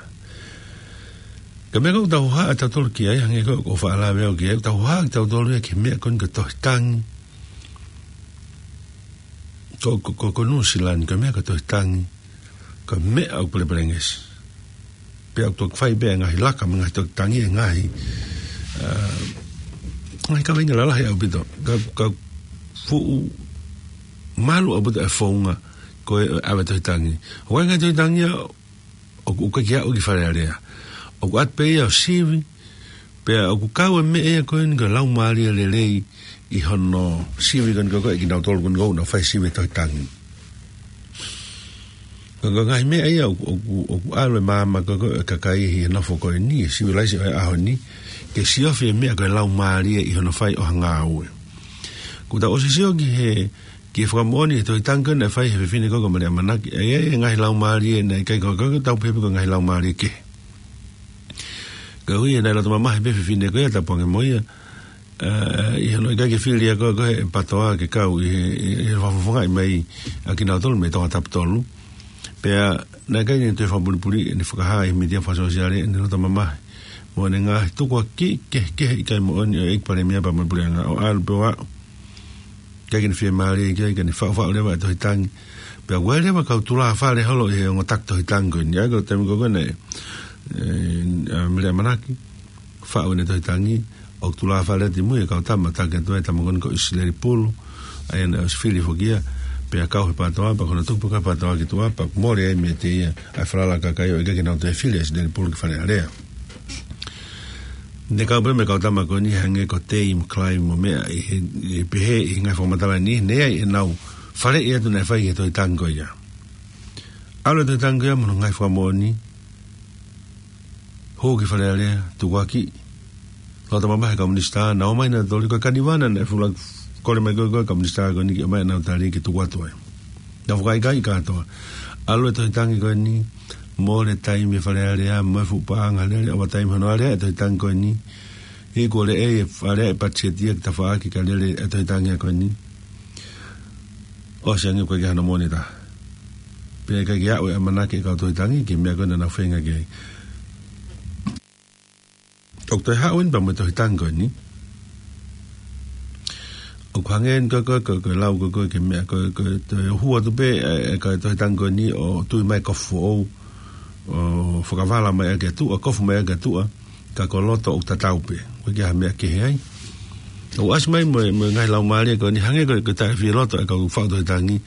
Ka ko e meʻa ʻoku tau haʻa tautolu ki ai, hangē ko ʻeku faʻa lave au ki ai, ʻoku tau haʻa tautolu ia ki he meʻa ko eni ko e Tohi Tangi. Ko, ko, ko, ko Nuʻu Sila ni, ko e meʻa ko e Tohi Tangi, ko e meʻa ʻoku pelepelengesi. Pea ʻoku toki fai pē ʻa e ngaahi laka mo e ngaahi Tohi Tangi ʻi he ngaahi, ā, ngaahi kaveinga lalahi ʻaupito. Ka, ka fuʻu malu ʻaupito ʻa e founga ko ē ʻo e ʻave Tohi Tangi. ʻOku ʻi ai e ngaahi Tohi Tangi ia ʻoku, ʻoku ʻikai ke aʻu ki Fale Alea. ʻOku ʻatu pē ia ʻo sivi, pea ʻoku kau e meʻa ia ko eni ko e laumālie lelei ʻi hono sivi ko eni ko ē ʻa kinautolu ko eni ʻoku nau fai sivi Tohi Tangi. Ko e, ko e ngaahi meʻa ia ʻoku, ʻoku, ʻoku ʻalu e maama ko ē ʻo e kakai ʻi he nofo ko eni, sivilaise ʻo e ʻaho ni, ke siofi e meʻa ko e laumālie ʻi hono fai ʻo ha ngāue. Kuo tau ʻosi sio ki he, ki he fakamoʻoni he Tohi Tangi ko ē naʻe fai ʻe he fefine ko ē ko Mele ʻAmanaki, ʻa ia e ngaahi laumālie naʻe ʻikai ko, ko, ko tau pehē pē ko e ngaahi laumālie kehe. Koeʻuhi naʻe loto mamahi pē fefine ko ia, tapu ange mo ia, ā, ʻi hono ʻikai ke fili ia ko, ko e PATOA ke kau ʻi he, ʻi he fakafofongaʻi mai ʻa kinautolu mei Tongatapu tolu. Pea naʻe ʻikai ke ne toe fakapulipuliʻi ʻene fakahā ʻi he mītia fakasōsiale ʻene loto mamahi mo ʻene ngaahi tukuakiʻi kehekehe ʻikai moʻoni ʻo e ʻEiki Palēmia pea mo e Puleʻanga, ʻo ʻalu pē ʻo aʻu. ʻIkai ke ne fiemālie ki ai, ka ne faʻufaʻu leva e Tohi Tangi. Pea ʻoku ʻi ai leva kau tulāfale holo ʻi he ongo taki Tohi Tangi ko eni, ʻa ia ko e taimi ko ē naʻe, ē, ʻa Mele ʻAmanaki faʻu ʻene Tohi Tangi, ʻoku tulāfale atu ʻi mui e kau tama taki atu ai, tama ko eni ko ʻIsileli Pulu, ʻa ia naʻe ʻosi fili foki ia, pea kau he PATOA, pea ko hono tuku pē ko ē PATOA ki tuʻa, pea mole ai meiate ia ʻa e falala ʻa e kakai ʻo ʻikai ke nau toe fili ʻa ʻIsileli Pulu ki Fale Alea. Ne kau pē mo e kau tama ko eni hangē ko Tei mo Kalai mo meʻa ʻi he, ʻi he pehē ʻi he ngaahi fakamatala ni, ne ʻi ai ʻenau faleʻi atu naʻe fai he tohi tangi ko ia. ʻAlu e tohi tangi ko ia mo hono ngaahi fakamoʻoni, hū ki Fale Alea, tukuakiʻi, loto mamahi e kau minisitā, nau ō mai nautolu ko e kanivana naʻe fuʻu kole mai ko ē ko e kau minisitā ko eni ke ō mai ʻenau tali ke tuku atu ai. Nau fakaʻikaiʻi kātoa. ʻAlu e tohi tangi ko eni, mole taimi e Fale Alea, mo e fuʻu paʻanga lele, ʻoua taimi hono alea e tohi tangi ko eni. He kuo lele e Fale Alea e patiseti ia ki tafaʻaki kae lele e tohi tangi ko eni. ʻOsi ange, ʻoku ʻikai ke ʻi ai hano moʻoni ʻe taha. Pea ʻikai ke aʻu e ʻamanaki e kau tohi tangi ki he meʻa ko ē naʻa nau feinga ki ai. ʻOku toe haʻu eni pea mo e tohi tangi ko eni. ʻOku hangē eni ko e, ko e, ko e, ko e lau ko e, ko e, ki he meʻa ko e, ko e toe hū atu pē e, e, ko e tohi tangi ko eni ʻo tui mai e kofu foʻou, ʻo fakavala mai ʻaki e tuʻa, kofu mai ʻaki e tuʻa, ka ko e loto ʻoku tatau pē. ʻOku ʻikai ha meʻa kehe ai. ʻOku ʻasi mai mo e, mo e ngaahi laumālie ko eni, hangē ko e, ko e taʻefieloto e kau faʻu tohi tangi,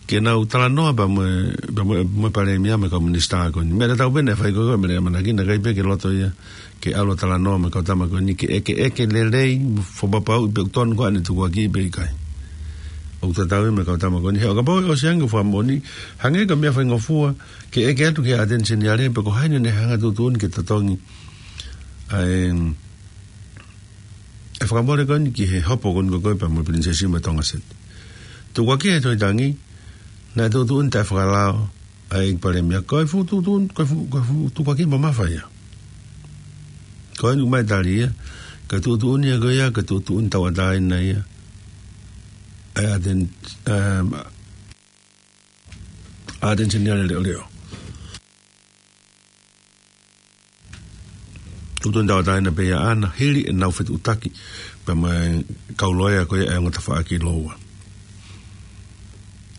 ke nau talanoa pea mo e, pea mo e, mo e palēmia mo e kau minisitā ko eni. Meʻa tatau pē naʻe fai ko ē ko e Mele ʻAmanaki, naʻe ʻikai pē ke loto ia ke ʻalu ʻo talanoa mo e kau tama ko eni, ke ʻeke, ʻeke lelei, fakapapauʻi pe ʻoku tonu ko ā ʻene tukuakiʻi pe ʻikai. ʻOku tatau ia mo e kau tama ko eni. He ʻo kapau ʻe ʻosi ange e fakamoʻoni, hangē ko e meʻa faingofua ke ʻeke atu ki he ʻAteni Seniale pe ko hai naʻa ne hanga ʻo tuʻutuʻuni ke totongi ʻa e, e fakamole ko eni ki he hopo ko eni ko ē pea mo e Pilinisesi mo e Tonga Seti. Tukuakiʻi he tohi tangi, naʻe tuʻutuʻuni taʻefakalao ʻa e palēmia, ko e fuʻu tuʻutuʻuni, ko e fuʻu, ko e fuʻu tukuakiʻi mamafa ia. Ko eni ʻoku ʻomai e tali ia, ko e tuʻutuʻuni ia ko ia, ko e tuʻutuʻuni tauʻatāina ia ʻa e ʻAteni, em, ʻAteni Seniale Leʻoleʻo. Tuʻutuʻuni tauʻatāina pē ia ʻaʻana, hili ʻenau fetuʻutaki pea mo e kau loea ko ia ʻa e ongo tafaʻaki Loua.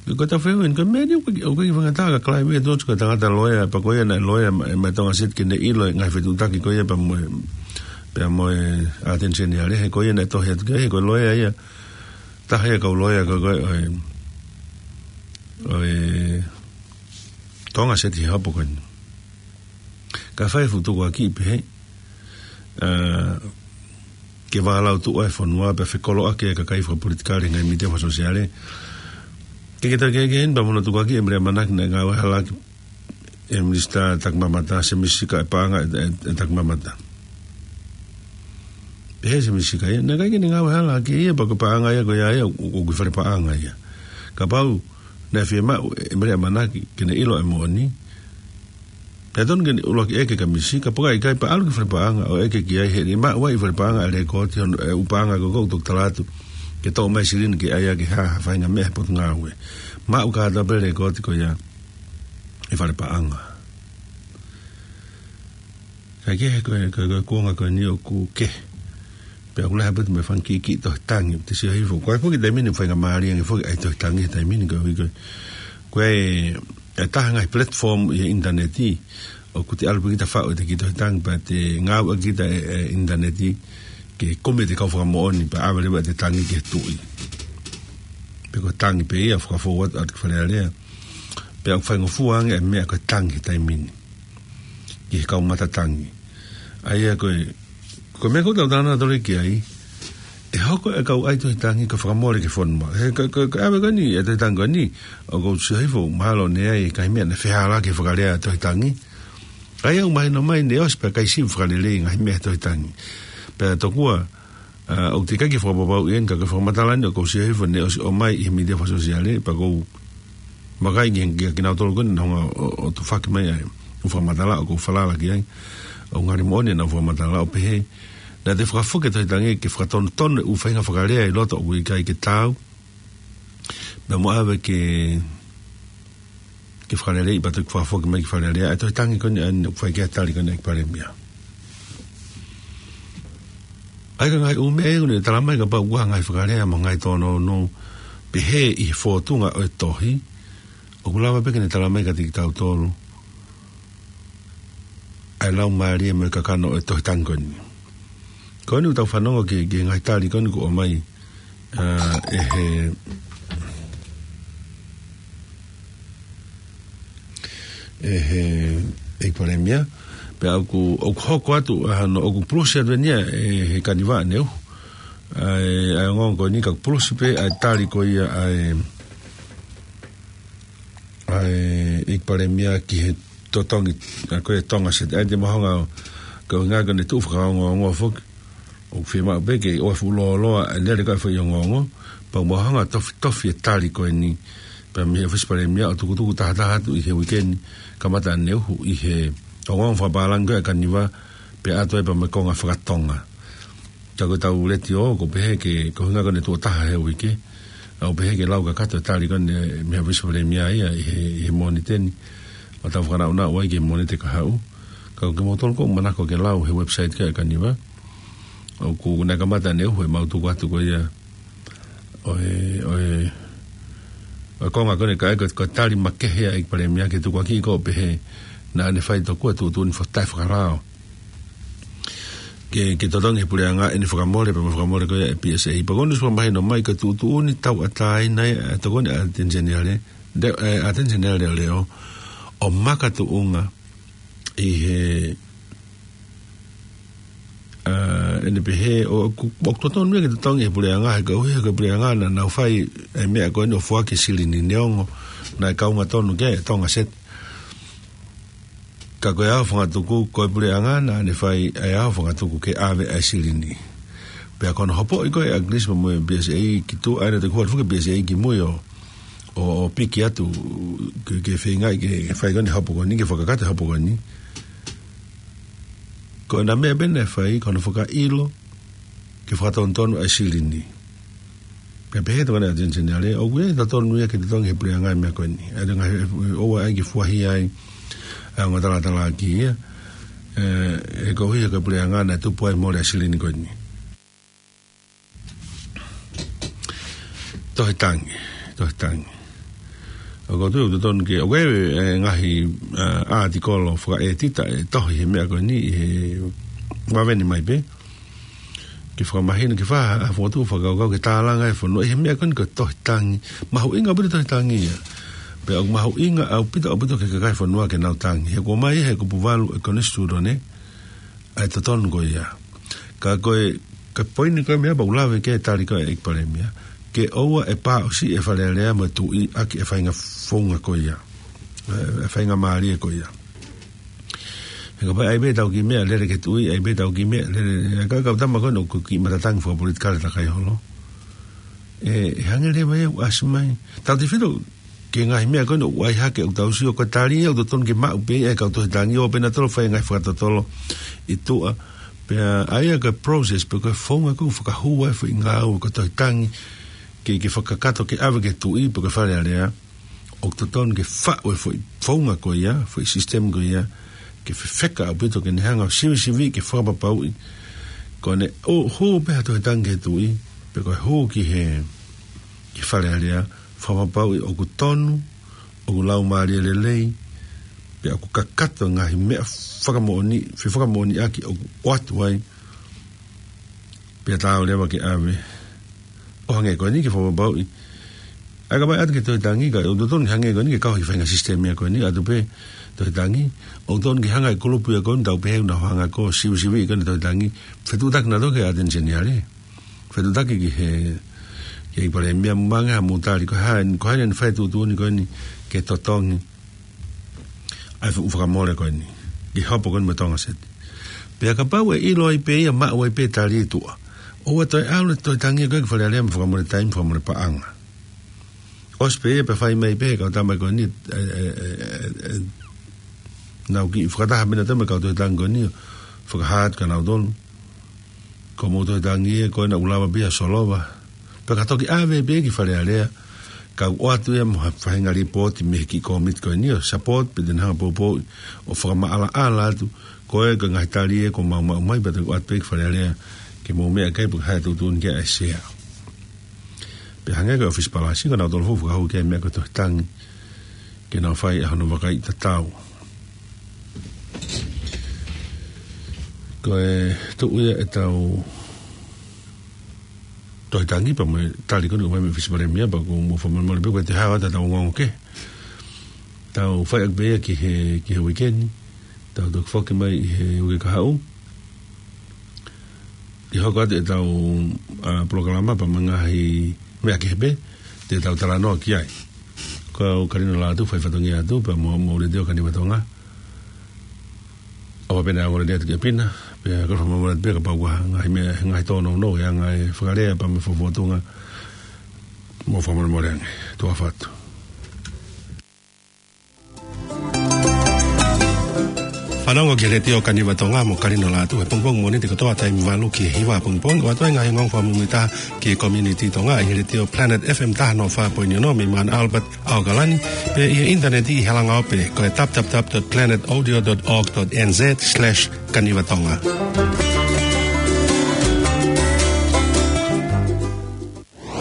Ko e tau fehuʻi eni, ko e meʻa ni ʻoku ʻikai, ʻoku ʻikai faingataʻa kia Kalai Vea Tosi, ko e tangata loea, pea ko ia naʻe loea mai, mai Tonga Seti ke ne ʻilo e ngaahi fetuʻutaki ko ia pea mo e, pea mo e ʻAteni Seniale, he ko ia naʻe tohi atu ki ai, he ko e loea ia, taha ia e kau loea ko ē, ko ē ʻo e, ʻo e Tonga Seti he hopo ko eni. Ka fai e fuʻu tukuakiʻi pehē, ā, ke vālau tuʻu ai e fonua pea fekoloʻaki e kakai fakapolitikale he ngaahi mītia fakasōsiale. Ke ke taki ke heni pea mo hono tukuakiʻi e Mele ʻAmanaki naʻe ngāue hala ʻaki e Minisitā Takimamata, Semisi Sika, e paʻanga ʻe, ʻe, ʻe Takimamata. Pehē ʻe Semisi Sika ia, naʻe ʻikai ke ne ngāue hala ʻaki ia pea ko e paʻanga ia ko ia ia, ʻoku, ʻoku ʻi fale paʻanga ia. Kapau naʻe fiemaʻu ʻe Mele ʻAmanaki ke ne ʻilo e moʻoni, pea tonu ke ne ʻuluaki ʻeke kia Misi Sika, pe ko e ʻikai, pea ʻalu ki fale paʻanga ʻo ʻeke ki ai, he ʻe maʻu ai ʻi fale paʻanga e lekooti hono, e ʻū paʻanga ko ē ʻoku toki tala atu ke toʻo mai e silini ke ʻai ʻaki ha, ha faʻahinga meʻa he potungāue. Maʻu kātoa pē e lekooti ko ia ʻi fale paʻanga. Kae kehe, ko e, ko e, ko e kuonga ko eni ʻoku kehe. Pea ʻoku lahi ʻaupito mo e fanga kiʻi tohi tangi, te u sio hifo. Ko e foki taimi ni faingamālie ange foki ʻa e tohi tangi he taimi ni ko e, ko e, ko e, e taha e ngaahi platform ʻi he ʻinitaneti ʻoku te ʻalu pē kita ʻo faʻu ʻete kiʻi tohi tangi pea te ngāueʻaki kita e, e ʻinitaneti ke kumi ʻete kau fakamoʻoni pea ʻave leva ʻete tangi ki he tuʻi. Pe ko e tangi pē ia ʻo fakafou atu, atu ki Fale Alea. Pea ʻoku faingofua ange e meʻa ko e tangi he taimi ni ki he kau mata tangi. ʻA ia ko e, ko e meʻa ʻoku tau talanoa atu ki ai, ʻe hoko e kau ʻai tohi tangi ko e fakamole ki he fonua. He ko, ko, ko e ʻave ko eni e tohi tangi ko eni, ʻoku ou sio hifo mahalo naʻe ʻi ai e ngaahi meʻa naʻe fehālaaki he fakalea e tohi tangi. ʻA ia ʻoku mahino mai naʻe ʻosi pē ʻikai sivi fakalelei e ngaahi meʻa he tohi tangi. Pea tokua, ā, ʻoku teʻeki ke fakapapauʻi eni, ka ko e fakamatala ni ʻoku ou sio hifo naʻe ʻosi ʻomai ʻi he mītia fakasōsiale, pea ʻoku ou vakai ki, ki, kinautolu ko ē naʻa nau hanga ʻo, ʻo tufaki mai ʻa e ʻū fakamatala ʻoku ou falala ki ai. ʻOku ngali moʻoni ʻenau fakamatala ʻo pehē naʻa te fakafoki e tohi tangi ke fakatonutonu e ʻū faʻahinga fakalea ʻi loto ʻoku ʻikai ke taau, pea mo ʻave ke ke fakaleleiʻi pea toki fakafoki mai ki Fale Alea e tohi tangi ko eni, ʻa eni ʻoku fai ki ai e tali ko eni ʻa e Palēmia. ʻA ia ko e ngaahi ʻū meʻa ia ʻoku ne talamai kapau ʻoku ʻi ai ha ngaahi fakalea mo e ngaahi tōnounou pehē ʻi he fōtunga ʻo e tohi, ʻoku lava pē ke ne talamai kiate kitautolu ʻa e laumālie mo e kakano ʻo e tohi tangi ko eni. Ko eni ʻoku tau fanongo ki, ki he ngaahi tali ko eni kuo ʻomai, ā, ʻe he, ʻe he, ʻe he Palēmia. Pea ʻoku, ʻoku hoko atu ʻa hono, ʻoku pulusi atu eni ia ʻe he Kaniva ʻaneuhu ʻa e, ʻa e ongoongo ko eni, ka ʻoku pulusi pē ʻa e tali ko ia ʻa e, ʻa e ʻEiki Palēmia ki he totongi ʻa ko e Tonga Seti. ʻA ia te mau hanga ʻo, ko e ʻuhinga ko ʻene tuʻu fakaongoongo foki, ʻoku fiemaʻu pē ke ʻoua ʻe fuʻu lōloa e lele ko ē e foʻi ongoongo, pea mau hanga ʻo tofitofi e tali ko eni pea mei he ʻOfisi Palēmia ʻo tukutuku tahataha atu ʻi he uike ni, kamata ʻaneuhu ʻi he ongoongo fakapālangi ko ē ʻa e Kaniva, pea ʻoatu ai pea mo e konga fakatonga. Ka ko ʻetau letiō, ʻoku pehē ke, ko e ʻuhinga ko ʻene tuʻo taha he uike, ʻoku pehē ke lau kakato e tali ko eni mei he ʻOfisi Palēmia ia ʻi he, ʻi he Mōnite ni, ʻo tau fakanaʻunaʻu ai ki he Mōnite kahaʻu. Ka ko kimoutolu ʻoku manako ke lau he website ko ē ʻa e Kaniva, ʻoku, naʻe kamata ʻaneuhu e mau tuku atu ko ia ʻo e, ʻo e, ʻo e konga ko eni ka ʻi ai ko e, ko e tali makehe ʻa e ʻEiki Palēmia ki he tukuakiʻi ko ē ʻo pehē naʻa ne fai tokua e tuʻutuʻuni fo-, taʻefakalao ke, ke totongi he puleʻanga ʻene fakamole, pea mo e fakamole ko ia ʻa e P S A. Pea ko ʻene ʻosi fakamahino mai ko e tuʻutuʻuni tauʻatāina ia ʻa e tokoni ʻa e ʻAteni Seniale, de, ʻa e ʻAteni Seniale leʻoleʻo, ʻo makatuʻunga ʻi he, ʻa, ʻene pehē ʻoku, ʻoku totonu ia ke totongi he puleʻanga, he koeʻuhi ko e puleʻanga naʻa nau fai e meʻa ko eni ʻo foaki e silini, neongo naʻe kaunga tonu ki ai e Tonga Seti. Ka ko e ʻaho fakatuku, ko e puleʻanga naʻa ne fai e ʻaho fakatuku ke ʻave ʻa e silini. Pea ko hono hopoʻi ko ē ʻa Gilisi pea mo e P S A ki tuʻa, ʻa ia naʻe toki hū atu foki e P S A ki mui ʻo, ʻo, ʻo piki atu ke, ke feingaʻi ke fai ko eni e hopo ko eni, ke fakakakato e hopo ko eni. Ko ʻena meʻa pē naʻe fai, ko hono fakaʻilo ke fakatonutonu ʻa e silini. Pea pehē atu ko ʻena ʻAteni Seniale, ʻoku ʻi ai e totonu ia ke totongi he puleʻanga e meʻa ko eni. ʻA ia ngaahi, ʻoua ʻe ʻai ke fuahia ai ʻa e ongo talatalaaki ia, ē, he koeʻuhi ko e puleʻanga naʻe tupu ai e mole ʻa e silini ko eni. Tohi tangi, tohi tangi. ʻOku ou tui ʻoku totonu ke, ʻoku ʻi ai e ngaahi, ā, ʻātikolo fakaʻētita ʻe tohi he meʻa ko eni, he vave ni mai pē ke fakamahino, ke fa-, ʻa, fokotuʻu fakakaukau ke tālanga e fonua ʻi he meʻa ko eni ko e tohi tangi. Mahuʻinga ʻaupito e tohi tangi ia. Pea ʻoku mahuʻinga ʻaupito, ʻaupito ki he kakai e fonua ke nau tangi. He kuo ʻomai he kupu valu e Konisitūtone ʻa e totonu ko ia. Ka ko e, ka ko e poini ko ē e meʻa pea ʻoku lave ki ai e tali ko ē ʻa e ʻEiki Palēmia, ke ʻoua ʻe pāʻosi e Fale Alea mo e Tuʻi ʻaki e faʻahinga founga ko ia, e, e faingamālie ko ia. He kapau ʻe ʻai pē ʻetau kiʻi meʻa lele ki he Tuʻi, ʻai pē ʻetau kiʻi meʻa lele, e ka, ka tama ko ē ʻoku kiʻi matatangi fakapolitikale takai holo. ʻE, ʻe hangē leva ia ʻoku ʻasi mai. Tautefito ki he ngaahi meʻa ko eni ʻoku ʻai hake, ʻoku tau sio ko e tali ia ʻoku totonu ke maʻu pē ʻe he kau tohi tangi, ʻo pehē naʻa tau fai e ngaahi fakatotolo ʻi tuʻa. Pea ʻa ia ko e process, pe ko e founga ʻoku fakahū ai e foʻi ngāue ko e tohi tangi, ke, ke fakakakato ke ʻave ki he Tuʻi, pe ko e Fale Alea, ʻoku totonu ke faʻu e foʻi founga ko ia, foʻi system ko ia, ke fefeka ʻaupito ke ne hanga ʻo sivisiviʻi, ke fakapapauʻi ko ʻene ʻo hū pē ha tohi tangi ki he Tuʻi, pe ko e hū ki he, ki he Fale Alea, fakapapauʻi ʻoku tonu, ʻoku laumālie lelei, pea ʻoku kakato e ngaahi meʻa fakamoʻoni, fefakamoʻoniʻaki ʻoku ʻoatu ai, pea taau leva ke ʻave. ʻO hangē ko eni ke fakapapauʻi. ʻA ia kapau ʻe ʻatu ki he tohi tangi, ka ʻoku totonu ke hangē ko eni ke kau he faʻahinga sisitemi ia ko eni, ʻatu pē tohi tangi, ʻoku totonu ke hanga e kulupu ia ko eni ʻoku tau pehē ʻoku nau hanga ʻo sivisiviʻi ko eni e tohi tangi, fetuʻutaki nautolu ki he ʻAteni Seniale. Fetuʻutaki ki he, ki he ʻEiki Palēmia, mou ange haʻamou tali, ko hai, ko hai naʻa ne fai e tuʻutuʻuni ko eni ke totongi ʻa e fuʻu fakamole ko eni ki he hopo ko eni mo e Tonga Seti. Pea kapau ʻe ʻilo ai pē ia, maʻu ai pē e tali ʻi tuʻa, ʻoua toe ʻalu e tohi tangi ko ē ki Fale Alea mo e fakamole taimi, fakamole paʻanga. ʻOsi pē ia pea fai mai pē ʻe he kau tama ko eni, ē, ē, ē, ē, ē, nau kiʻi fakataha pē nautolu mo e kau tohi tangi ko eni ʻo fakahā atu kia nautolu, ko hoʻomou tohi tangi ē, ko ena ʻoku lava pē ia ʻo solova. Pea ka toki ʻave pē ki Fale Alea, ka ʻoku ʻoatu ia mo ha faʻahinga lipooti mei he kiʻi kōmiti ko eni ʻo support, pe te ne hanga ʻo poupouʻi ʻo fakamaʻalaʻala atu, ko e, ko e ngaahi tali ē kuo mau maʻu mai, pea toki ʻoatu pē ki Fale Alea ke mou meʻa ki ai, pe ko hai ʻe tuʻutuʻuni ki ai e sea. Pea hangē ko e ʻofisi palasi, ko nautolu foki ʻoku fakahū ki ai e meʻa ko e tohi tangi, ke nau fai ʻa hono vakaiʻi tatau. Ko e tuʻu ia ʻetau tohi tangi pea mo e tali ko eni ʻoku ʻomai mei he ʻOfisi Palēmia, pea ʻoku mou fakamolemole pē ko e te hao atu ʻetau ongoongo kehe. Tau fai ʻaki pē ia ki he, ki he uike ni. Tau toki foki mai ʻi he uike kahaʻu. ʻI he hoko atu ʻetau, ʻa, polokalama pea mo e ngaahi meʻa kehe pē te tau talanoa ki ai. Ko au Kalino Lātū, fai fatongia atu pea mo, mo e Letiō Kaniva Tonga. ʻOfa pē naʻa ongo lelei atu kia Pina, pea ko e fakamolemole atu pē kapau ʻoku ʻi ai ha ngaahi meʻa, ngaahi tōnounou, ʻi he ngaahi fakalea pea mo e fakafofonga, mou fakamolemole ange. Tuʻa ʻofa atu. Fanongo ki he Letiō Kaniva Tonga mo Kalino Lātū he pongipongi Mōnite kotoa taimi valu ki he hiva pongipongi, ʻo ʻoatu ai e ngaahi ongoongo fakamuimuitaha ki he community Tonga ʻi he Letiō Planet F M taha noa fā poini ono mei Mount Albert, ʻAokalani, pea ʻi he ʻinitaneti ʻi he langaope ko e w w w dot planet audio dot org dot n z slash kaniva tonga.